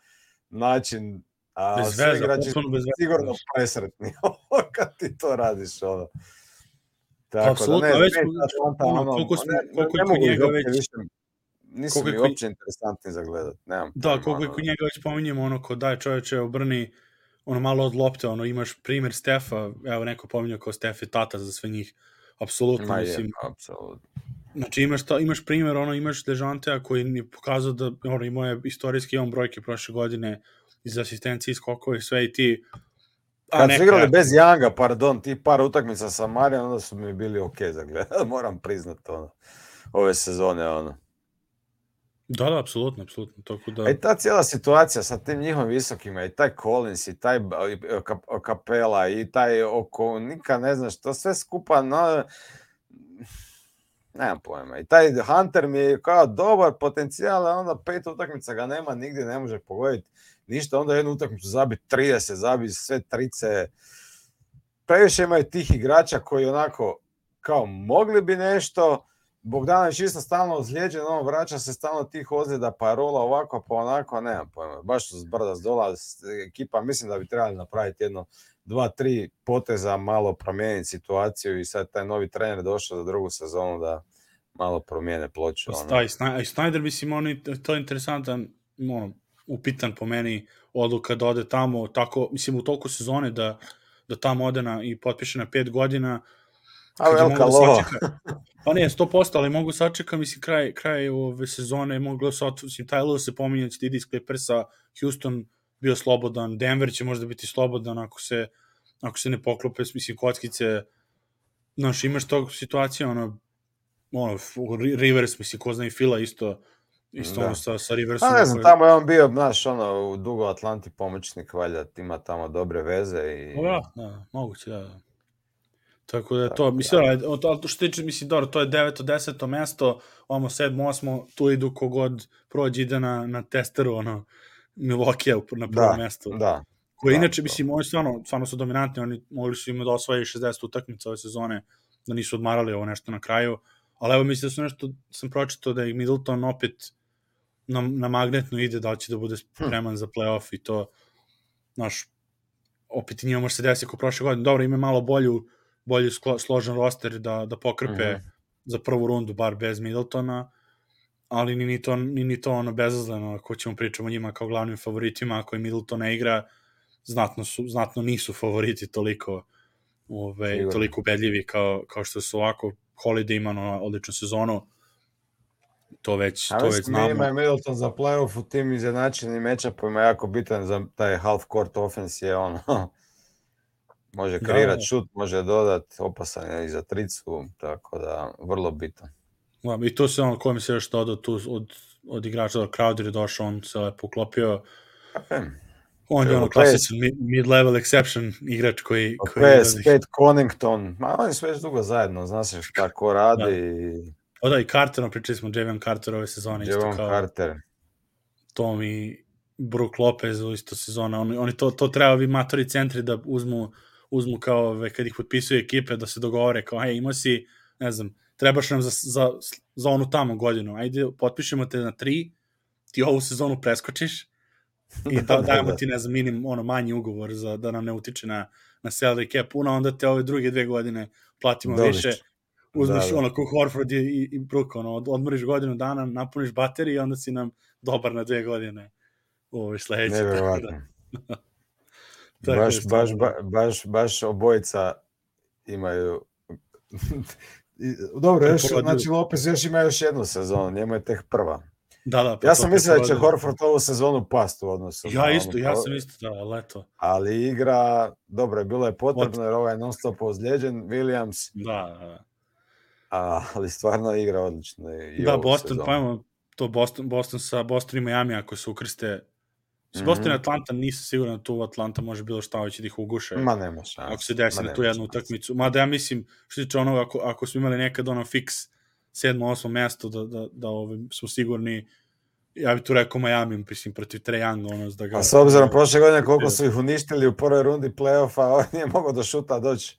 način. A bez svi veza, igrači su bez sigurno veza. presretni kad ti to radiš. Ono. Tako Apsolutno, da ne, već, ne, ta ono, ono, koliko, smo, ne, koliko ne, je kod njega već... Više, nisu mi uopće interesantni za gledat. Nemam da, pojma, koliko je kod njega već pominjemo, ono, ko daj čovječe, obrni ono malo od lopte, ono, imaš primjer Stefa, evo neko pominjao kao Stef je tata za sve njih, apsolutno, mislim. Je, apsolutno. Znači, imaš, to, imaš primjer, ono, imaš Dejantea koji je pokazao da, ono, imao je istorijski imam brojke prošle godine iz asistencije, iz skokova i sve i ti... A, kad su igrali ja... bez Younga, pardon, ti par utakmica sa Marijom, onda su mi bili ok za gledat, moram priznat, ono, ove sezone, ono. Da, da, apsolutno, apsolutno. Tako da... A i ta cijela situacija sa tim njihovim visokima, i taj Collins, i taj Capela, i taj oko, nikad ne znaš, to sve skupa, no, nemam pojma. I taj Hunter mi je kao dobar potencijal, a onda pet utakmica ga nema, nigdje ne može pogoditi ništa, onda jednu utakmicu zabi trideset, zabi sve trice. Previše imaju tih igrača koji onako, kao mogli bi nešto, Bogdanović isto stalno ozlijeđen, on vraća se stalno tih ozljeda, pa rola ovako, pa onako, nemam pojma. Baš su zbrda zdola ekipa, mislim da bi trebali napraviti jedno, dva, tri poteza, malo promijeniti situaciju i sad taj novi trener došao za drugu sezonu da malo promijene ploču. Ono. A i Snyder, mislim, on je to interesantan, ono, upitan po meni odluka da ode tamo, tako, mislim, u toliko sezone da, da tamo ode na, i potpiše na pet godina. A velika lova. Pa ne, sto posto, ali mogu sačeka, mislim, kraj, kraj ove sezone, mogu se mislim, taj Lewis se pominje, će ide iz Clippersa, Houston bio slobodan, Denver će možda biti slobodan ako se, ako se ne poklope, mislim, kockice, znaš, imaš tog situacija, ono, ono, Rivers, mislim, ko zna i Fila isto, isto ono sa, sa Riversom. Pa ne znam, tamo je on bio, znaš, ono, u Dugo Atlanti pomoćnik, valjda, ima tamo dobre veze i... Da, da, moguće, da, da. Tako da je to, mislim, ali što tiče, mislim, dobro, to je deveto, deseto mesto, ovamo sedmo, osmo, tu idu kogod prođe, ide na, na testeru, ono, Milwaukee na prvo mesto. Da, Koje da, inače, da. mislim, oni stvarno, stvarno su dominantni, oni mogli su im da osvoje šezdeset utakmica ove sezone, da nisu odmarali ovo nešto na kraju, ali evo mislim da su nešto, sam pročitao da je Middleton opet na, na magnetno ide, da će da bude spreman hm. za play-off i to, znaš, opet i njima može se desiti kao prošle godine. Dobro, ima malo bolju bolji složen roster da, da pokrpe mm-hmm. za prvu rundu, bar bez Middletona, ali ni, ni, to, ni, ni to ono bezazleno, ako ćemo pričamo o njima kao glavnim favoritima, ako i Middleton ne igra, znatno, su, znatno nisu favoriti toliko, ove, toliko ubedljivi kao, kao što su ovako. Holiday ima ono, odličnu sezonu, to već, A to već znamo. Ima je Middleton za playoff u tim izjednačenim matchupima jako bitan za taj half court offense je ono... Može kreirati šut, može dodati, opasan je i za tricu, tako da vrlo bitan. Ja, i to se ono, ko mi se još dodao tu od, od igrača, Crowder je došao, on se lepo uklopio. Okay. On je ono klasičan mid-level exception igrač koji... koji Spade Connington, ma oni su već dugo zajedno, zna se šta ko radi. Da. I... O da, i Carter, pričali smo Javion Carter ove sezone. Javion Carter. Tom i Brook Lopez u isto sezona. Oni, oni to, to treba vi matori centri da uzmu uzmu kao kad ih potpisuju ekipe da se dogovore kao, hej, imao si, ne znam, trebaš nam za, za, za onu tamo godinu, ajde, potpišemo te na tri, ti ovu sezonu preskočiš i da, da, dajemo da. ti, ne znam, minim, ono, manji ugovor za, da nam ne utiče na, na salary cap puno, onda te ove druge dve godine platimo Dobiš. više, uzmeš Da, da. ono ko Horford i, i, i Brook, ono, od, odmoriš godinu dana, napuniš bateriju i onda si nam dobar na dve godine u ovoj sledeći. Nevjerovatno. Tako baš, je stvarno. baš, ba, baš, baš obojica imaju... Dobro, još, znači Lopez još ima još jednu sezonu, njemu je tek prva. Da, da, pa ja sam mislio da će Horford ovu sezonu past u odnosu. Ja isto, ono, ja sam isto, da, leto. Ali igra, dobro, bilo je potrebno jer ovaj non stop ozlijeđen, Williams. Da, da. A, ali stvarno igra odlično. I da, Boston, sezonu. Pa imamo to Boston, Boston sa Boston i Miami, ako se ukrste. S Boston i mm-hmm. Atlanta, nisam siguran da tu Atlanta može bilo šta hoće da ih uguše. Ma nema šanse. Ako se desi na tu jednu utakmicu. Mada ja mislim, što tiče onoga, ako, ako smo imali nekad ono fix sedmo, osmo mesto, da, da, da ovaj, smo sigurni, ja bih tu rekao Miami, mislim, protiv Trae Younga, ono, da ga... A s obzirom prošle godine koliko su ih uništili u prvoj rundi play-offa, on nije mogao do šuta doći.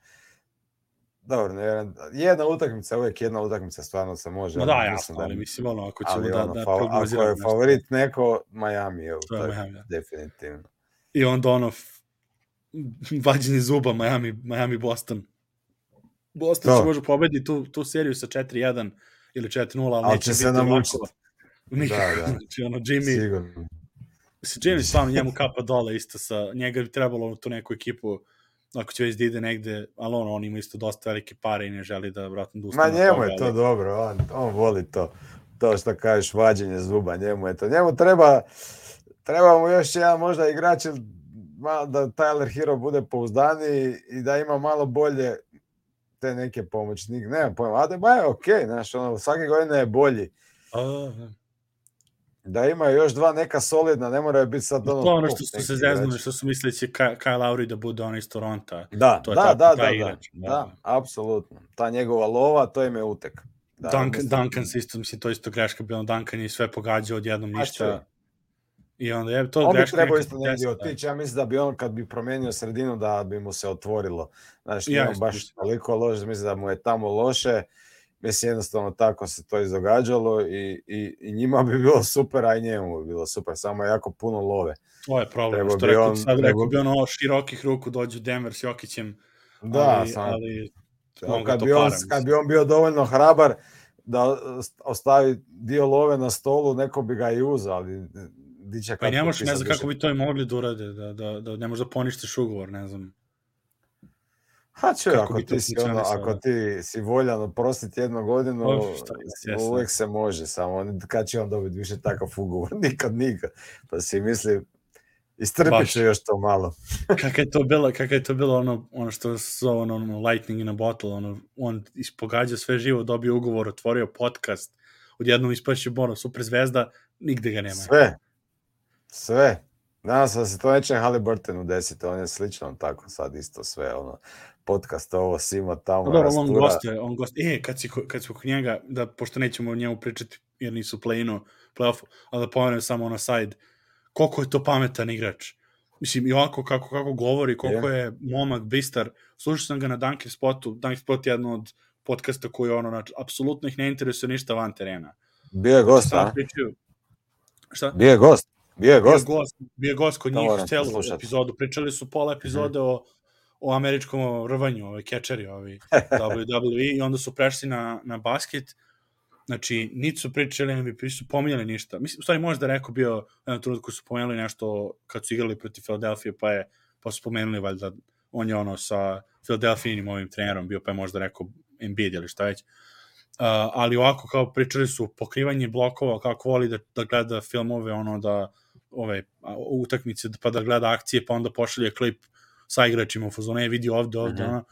Dobro, ne, jedna utakmica, uvijek jedna utakmica stvarno se može. No da, jasno, da, ali mislim, ono, ako ćemo da, ono, da fa- prognoziramo ako je favorit neko, Miami je, to je Miami, da. Definitivno. I onda ono, vađenje zuba, Miami, Miami, Boston. Boston će može pobediti tu, tu seriju sa četiri jedan ili četiri nula, ali, ali neće će se namučiti. Nikako, da, da. znači, ono, Jimmy... Sigurno. Mislim, Jimmy stvarno njemu kapa dole isto sa... Njega bi trebalo tu neku ekipu, ako će već da ide negde, ali ono, on ima isto dosta velike pare i ne želi da vratno da ustane. Ma njemu je to ali... dobro, on, on voli to. To što kažeš, vađenje zuba, njemu je to. Njemu treba, treba mu još jedan možda igrač da Tyler Hero bude pouzdaniji i da ima malo bolje te neke pomoćnike. Nemam pojma, a da je okej, okay, znaš, ono, svake godine je bolji. A, da ima još dva neka solidna, ne moraju biti sad ono... To ono što su se zeznuli, što su mislili će Kyle Lowry da bude ono iz Toronta. Da, to je da, ta, da, ta da, igrač, da, da, apsolutno. Ta njegova lova, to im je utek. Da, Duncan, Duncan se isto, mislim, to isto greška bilo, Duncan je sve pogađao odjednom ništa. I onda je to on greška. On bi trebao isto negdje otići, ja mislim da bi on kad bi promijenio sredinu da bi mu se otvorilo. Znači, ja, on baš toliko loše, mislim da mu je tamo loše. Mislim, jednostavno tako se to izdogađalo i, i, i njima bi bilo super, a i njemu bi bilo super, samo jako puno love. To je problem, treba što rekao, on, sad treba... rekao bi ono širokih ruku dođu Denver s Jokićem, da, ali, sam, ali kad, bi on, kad bi on bio dovoljno hrabar da ostavi dio love na stolu, neko bi ga i uzao, ali diće pa ne možeš, ne znam kako bi to i mogli da urade, da, da, da ne možeš da poništiš ugovor, ne znam. Ha čuj, ako ti, si ono, ako ti si voljan oprostiti jednu godinu, oh, uvijek se može, samo kad će on dobiti više takav ugovor, nikad, nikad. Pa si misli, istrpit će još to malo. Kako je to bilo, kako je to bilo ono, ono što se zove ono, ono, lightning in a bottle, ono, on ispogađa sve živo, dobio ugovor, otvorio podcast, odjednom ispašće ono, super zvezda, nigde ga nema. Sve, sve. Nadam se da se to neće Haliburtonu desiti, on je slično tako sad isto sve, ono, podcast ovo, simo tamo, no, dobro, on gostuje, on gostuje, e, kad, si, kad smo kod njega, da, pošto nećemo o njemu pričati, jer nisu u play-inu, play-offu, ali da pomenem samo ono side, koliko je to pametan igrač. Mislim, i ovako kako, kako govori, koliko yeah. je momak, bistar, slušao sam ga na Dunkin' Spotu, Dunkin' Spot je jedno od podcasta koji ono, znači, apsolutno ih ne interesuje ništa van terena. Bio je gost, a? Pričaju, šta? Bio je gost. Bio je gost. Bio gost, bio gost kod njih celu epizodu. Pričali su pola epizode mm-hmm. o, o američkom rvanju, ovaj kečeri, ovaj W W E, i onda su prešli na, na basket. Znači, niti su pričali, ne bi su pominjali ništa. Mislim, u stvari možda rekao bio, jednom trenutku su pomenuli nešto kad su igrali protiv Philadelphia, pa je, pa su spomenuli valjda, on je ono sa Philadelphijinim ovim trenerom bio, pa je možda rekao Embiid ili šta već. Uh, ali ovako kao pričali su pokrivanje blokova, kako voli da, da gleda filmove, ono da ove utakmice, pa da gleda akcije, pa onda pošalje klip sa igračima u fazonu, je vidi ovde, ovde, mm-hmm. ono.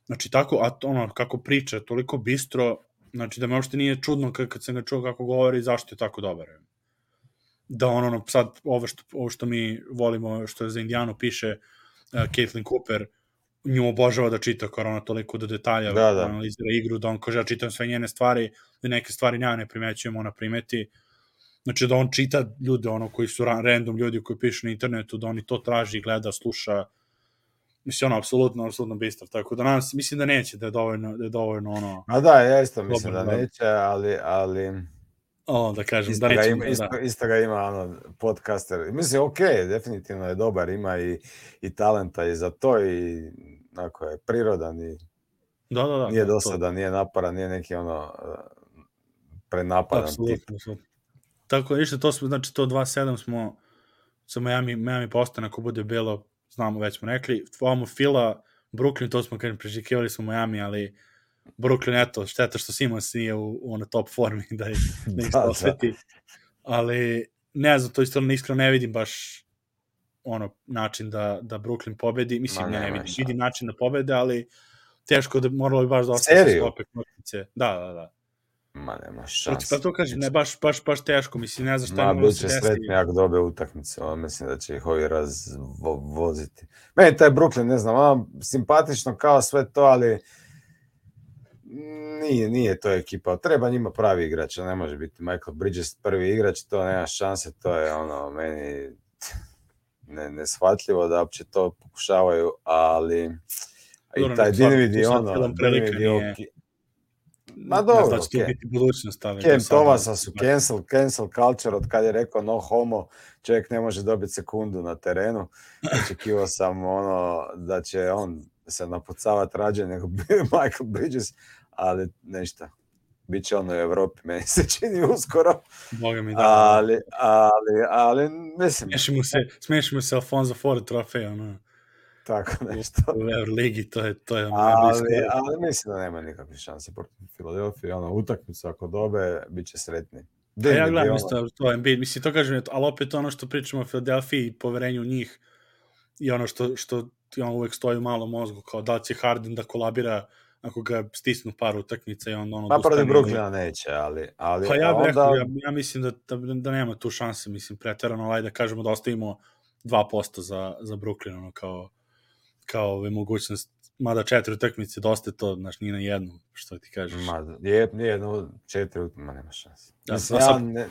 Znači tako, a ono, kako priča, toliko bistro, znači da me uopšte nije čudno kad, kad sam ga čuo kako govori, zašto je tako dobar. Da on, ono, sad, ovo što, ovo što mi volimo, što za Indijanu piše uh, Caitlin Cooper, nju obožava da čita, kao ona toliko do detalja da, da. analizira igru, da on kaže, ja čitam sve njene stvari, da neke stvari ja ne primećujem, ona primeti. Znači da on čita ljude, ono, koji su random ljudi koji pišu na internetu, da oni to traži, gleda, sluša. mislim, ono, apsolutno, apsolutno bistar, tako da nas, mislim da neće, da je dovoljno, da je dovoljno, ono... A da, ja isto mislim da neće, ali, ali... O, da kažem, isto da neće... Ima, isto, isto ga ima, ono, podcaster, mislim, ok, definitivno je dobar, ima i, i talenta i za to, i, onako je, prirodan i... Da, da, da. Nije da, dosada, to. Nije naparan, nije neki, ono, prenapadan apsolutno, tip. Apsolutno. Tako, ništa, to smo, znači, to dva sedam smo sa Miami, Miami postane, ako bude bilo, znamo, već smo rekli, ovamo Fila, Brooklyn, to smo, kažem, prežikivali smo Miami, ali Brooklyn, eto, šteta što Simons nije u, u ono top formi da ih, da ih da, osveti, da. Ali ne znam, to isto iskreno ne vidim baš ono način da, da Brooklyn pobedi, mislim, ne, ne vidim, vidim način da pobede, ali teško da moralo bi baš da ostane sklope knopnice. Da, da, da. Ma nema šanse. Pa to kažem, ne, baš, baš, baš teško, mislim, ne znam šta ima da se desi. Ma, bit će sretni ako dobe utakmice, on mislim da će ih ovi razvoziti. Meni taj Brooklyn, ne znam, ono, simpatično kao sve to, ali nije, nije to ekipa. Treba njima pravi igrač, ne može biti Michael Bridges prvi igrač, to nema šanse, to je ono, meni ne, neshvatljivo da uopće to pokušavaju, ali i taj Dinwiddie, ono, Dinwiddie ok. Ma dobro, da će to biti budućnost, ali Cam Thomasa su cancel, cancel culture, od kad je rekao no homo, čovjek ne može dobiti sekundu na terenu. Očekivao sam ono da će on se napucavati rađe nego Michael Bridges, ali ništa. Biće on u Evropi, meni se čini uskoro. Boga mi da. Ali, ali, ali, mislim... Smiješimo se, smiješimo se Alfonso Ford trofej, ono. Tako nešto. U Euroligi, to je, to je ono ali, ali mislim da nema nikakve šanse protiv Filadelfije. Ono, utakmicu ako dobe, bit će sretni. A ja gledam ono... isto to Embiid, mislim, to kažem, ali opet ono što pričamo o Filadelfiji i poverenju u njih i ono što, što ono uvek stoji u malom mozgu, kao da će Harden da kolabira ako ga stisnu par utakmica i on ono... Pa protiv Brooklyna neće, ali... ali pa ja bih onda... rekao, ja, ja mislim da, da, da nema tu šanse, mislim, preterano, ali da kažemo da ostavimo dva posto za, za Brooklyn, ono, kao kao ove mogućnost, mada četiri utakmice dosta to, znaš, nije na jednu, što ti kažeš. Ma, je, jedno, četiri utakmice, ma nema šanse. Ja, mislim, ja, ne,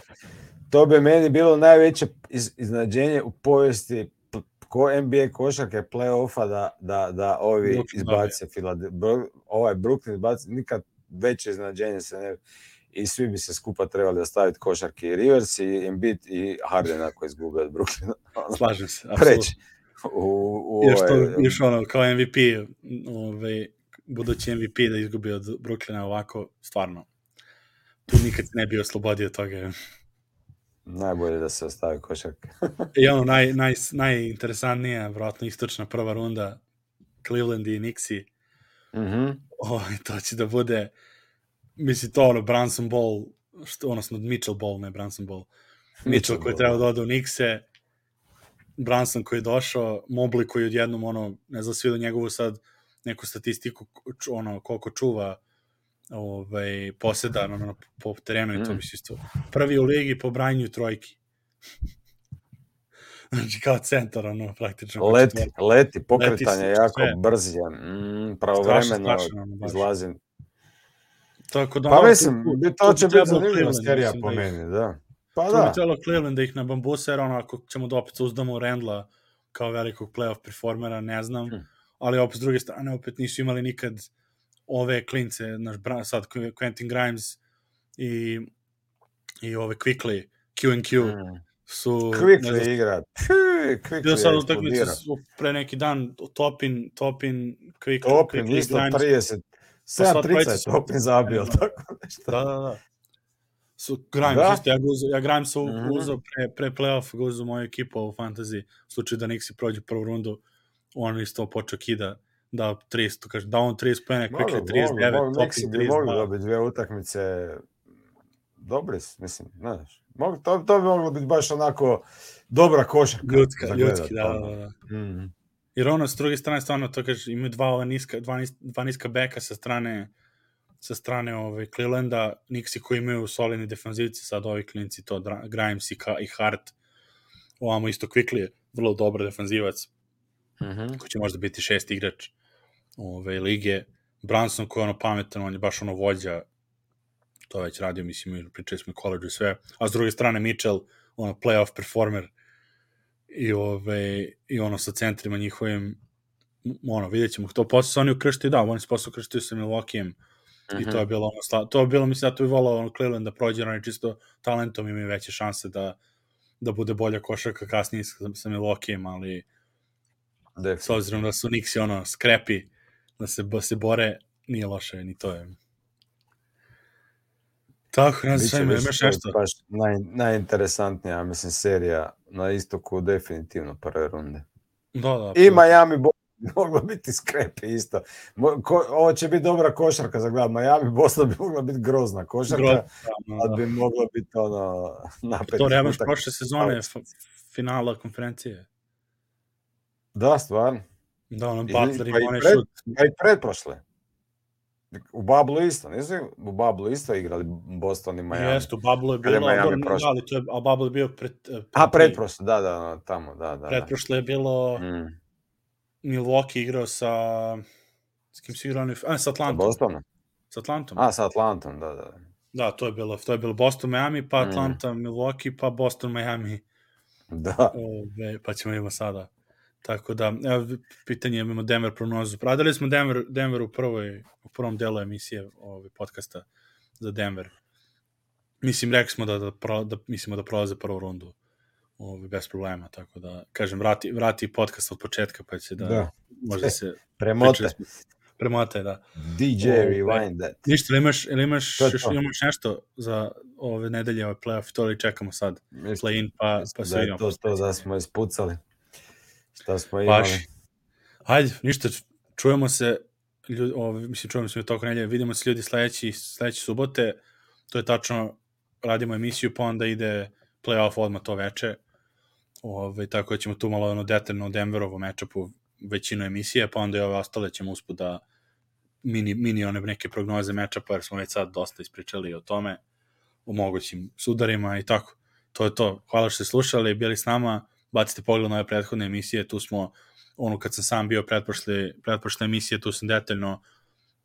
to bi meni bilo najveće iz, iznadženje u povijesti ko N B A košarke play-offa da, da, da ovi Brooklyn izbace Filadelfiju. Ovaj Brooklyn izbace, nikad veće iznadženje se ne... I svi bi se skupa trebali ostaviti košarke i Rivers i Embiid i Harden ako izgube od Brooklyna. Slažem se, apsolutno. U, u još, to, još ono, kao M V P, ovaj, budući M V P da izgubi od Brooklyna ovako, stvarno, tu nikad ne bi oslobodio toga. Najbolje da se ostavi košarka. I ono, naj, naj, najinteresantnija, vjerojatno istočna prva runda, Cleveland i Knicksi, mm-hmm. oh, to će da bude, mislim, to ono, Brunson Ball, što, odnosno Mitchell Ball, ne Brunson Ball, Mitchell, Mitchell koji treba da ode u Knickse, Brunson koji je došao, Mobley koji odjednom, ono, ne znam, svi do njegovu sad neku statistiku, ono, koliko čuva ovaj, poseda ono, po terenu i to bi se isto. Prvi u ligi po branju trojki. Znači, kao centar, ono, praktično. Leti, četvr... leti, pokretanje leti, jako sve. Brz je, mm, pravovremeno izlazi. Tako da, pa ono, mislim, tu, to tu će biti zanimljiva serija po meni, da. Pa to da. bi trebalo Cleveland da ih na bambusa, jer ono, ako ćemo da opet uzdamo Randla kao velikog playoff performera, ne znam, hmm. ali opet s druge strane, opet nisu imali nikad ove klince, naš sad Quentin Grimes i, i ove Quickly, Q and Q, hmm. su... Quickly znam, igra. Quickly bio sad utakmice pre neki dan, Topin, Topin, Quick, Topin, Quickly, isto Grimes. trideset, sedam trideset Topin zabio, tako nešto. Da, da, da. Su Grimes, da? Isto, ja, uzo, ja Grimes u, mm-hmm. uzao pre, pre play-off, ga uzao moju ekipu u fantasy, u slučaju da Knicksi prođu prvu rundu, on isto počeo kida, da trideset, kaže, da on trideset pojene, Quickly trideset devet, Topin trideset dva. Mogli dobiti dvije utakmice, dobri su, mislim, ne znaš, to, to bi moglo biti baš onako dobra košarka. Ljudska, ljudski, da, da, da. Mm-hmm. Jer ono, s druge strane, stvarno, to kaže, imaju dva, ova niska, dva, niska, dva niska beka sa strane sa strane ovaj, Clevelanda, Knicksi koji imaju solidni defanzivci, sad ovi klinci, to Grimes i, i Hart, ovamo isto Quickly je vrlo dobar defanzivac, mm-hmm. koji će možda biti šest igrač ove lige, Brunson koji je ono pametan, on je baš ono vođa, to već radio, mislim, pričali smo i college i sve, a s druge strane Mitchell, ono playoff performer i, ove, i ono sa centrima njihovim, ono, vidjet ćemo. To posle su oni ukrštili, da, oni su posle ukrštili sa Milwaukeeom mm-hmm. i to je bilo ono, to je bilo, mislim, da to je volao ono, Cleveland da prođe, oni čisto talentom imaju veće šanse da, da bude bolja košarka kasnije sa, sa Milwaukeeom, ali s obzirom da su Knicksi ono, skrepi, da se, da se bore, nije loše, ni to je. Tako, ne znam, imaš nešto? Baš naj, najinteresantnija, mislim, serija na istoku definitivno prve runde. Da, da. I Miami bi moglo biti skrepe isto. Ko, ovo će biti dobra košarka za gled. Miami Boston bi mogla biti grozna košarka, Groz, da, da. Ali bi moglo biti ono napet. To nemaš prošle sezone finala konferencije. Da, stvarno. Da, ono Butler i Mone šut. Pa i predprošle. U Bablu isto, nisu u Bablu isto igrali Boston i Miami. Jeste, u Bablu je bilo, ali to je, a Bablu je bio pred... pred a, predprošle, da, da, tamo, da, da. Predprošle je bilo... Mm. Milwaukee igrao sa... S kim si igrao? A, sa Atlantom. Sa Bostonom? Sa Atlantom. A, sa Atlantom, da, da. Da, to je bilo, to je bilo Boston, Miami, pa Atlanta, mm. Milwaukee, pa Boston, Miami. Da. Ove, pa ćemo imamo sada. Tako da, evo, pitanje, imamo Denver prognozu. Radili smo Denver, Denver u, prvoj, u prvom delu emisije ove, podcasta za Denver. Mislim, rekli smo da, da, pro, da, mislimo da prolaze prvu rundu ove, bez problema, tako da, kažem, vrati, vrati podcast od početka, pa će da, da. možda se... Premote. Premote, da. D J, ove, rewind that. Ništa, ili imaš, ili imaš, još, imaš nešto za ove nedelje, ove playoff, to li čekamo sad? Play-in, pa, pa se vidimo. Da je to, to da smo ispucali. Šta smo imali? Baš. Hajde, ništa, čujemo se, ljudi, o, mislim, čujemo se u toku nedelje, vidimo se ljudi sledeći, sledeći subote, to je tačno, radimo emisiju, pa onda ide play-off odmah to veče, ove, tako da ćemo tu malo ono detaljno o Denverovom matchupu većinu emisije, pa onda i ove ostale ćemo usput da mini, mini one neke prognoze matchupa, jer smo već sad dosta ispričali o tome, o mogućim sudarima i tako. To je to. Hvala što ste slušali, bili s nama, bacite pogled na ove prethodne emisije, tu smo, ono kad sam sam bio pretprošle, pretprošle emisije, tu sam detaljno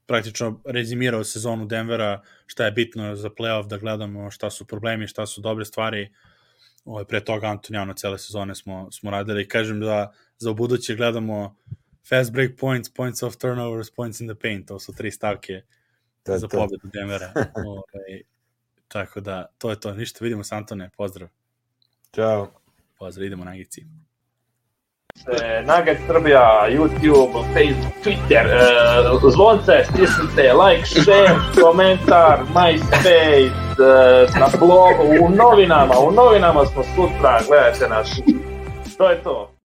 praktično rezimirao sezonu Denvera, šta je bitno za playoff, da gledamo šta su problemi, šta su dobre stvari. Ovo, pre toga Antonijano cele sezone smo, smo radili i kažem da za ubuduće gledamo fast break points, points of turnovers, points in the paint, to su tri stavke to za to. Pobedu Denvera. Ove, tako da, to je to. Ništa, vidimo se Antone, pozdrav. Ćao. Pozdrav, idemo na Gici. Nugget Srbija, YouTube, Facebook, Twitter, uh, zvonce, stisnite, like, share, komentar, MySpace, uh, na blogu, u novinama, u novinama smo sutra, gledajte nas. To je to.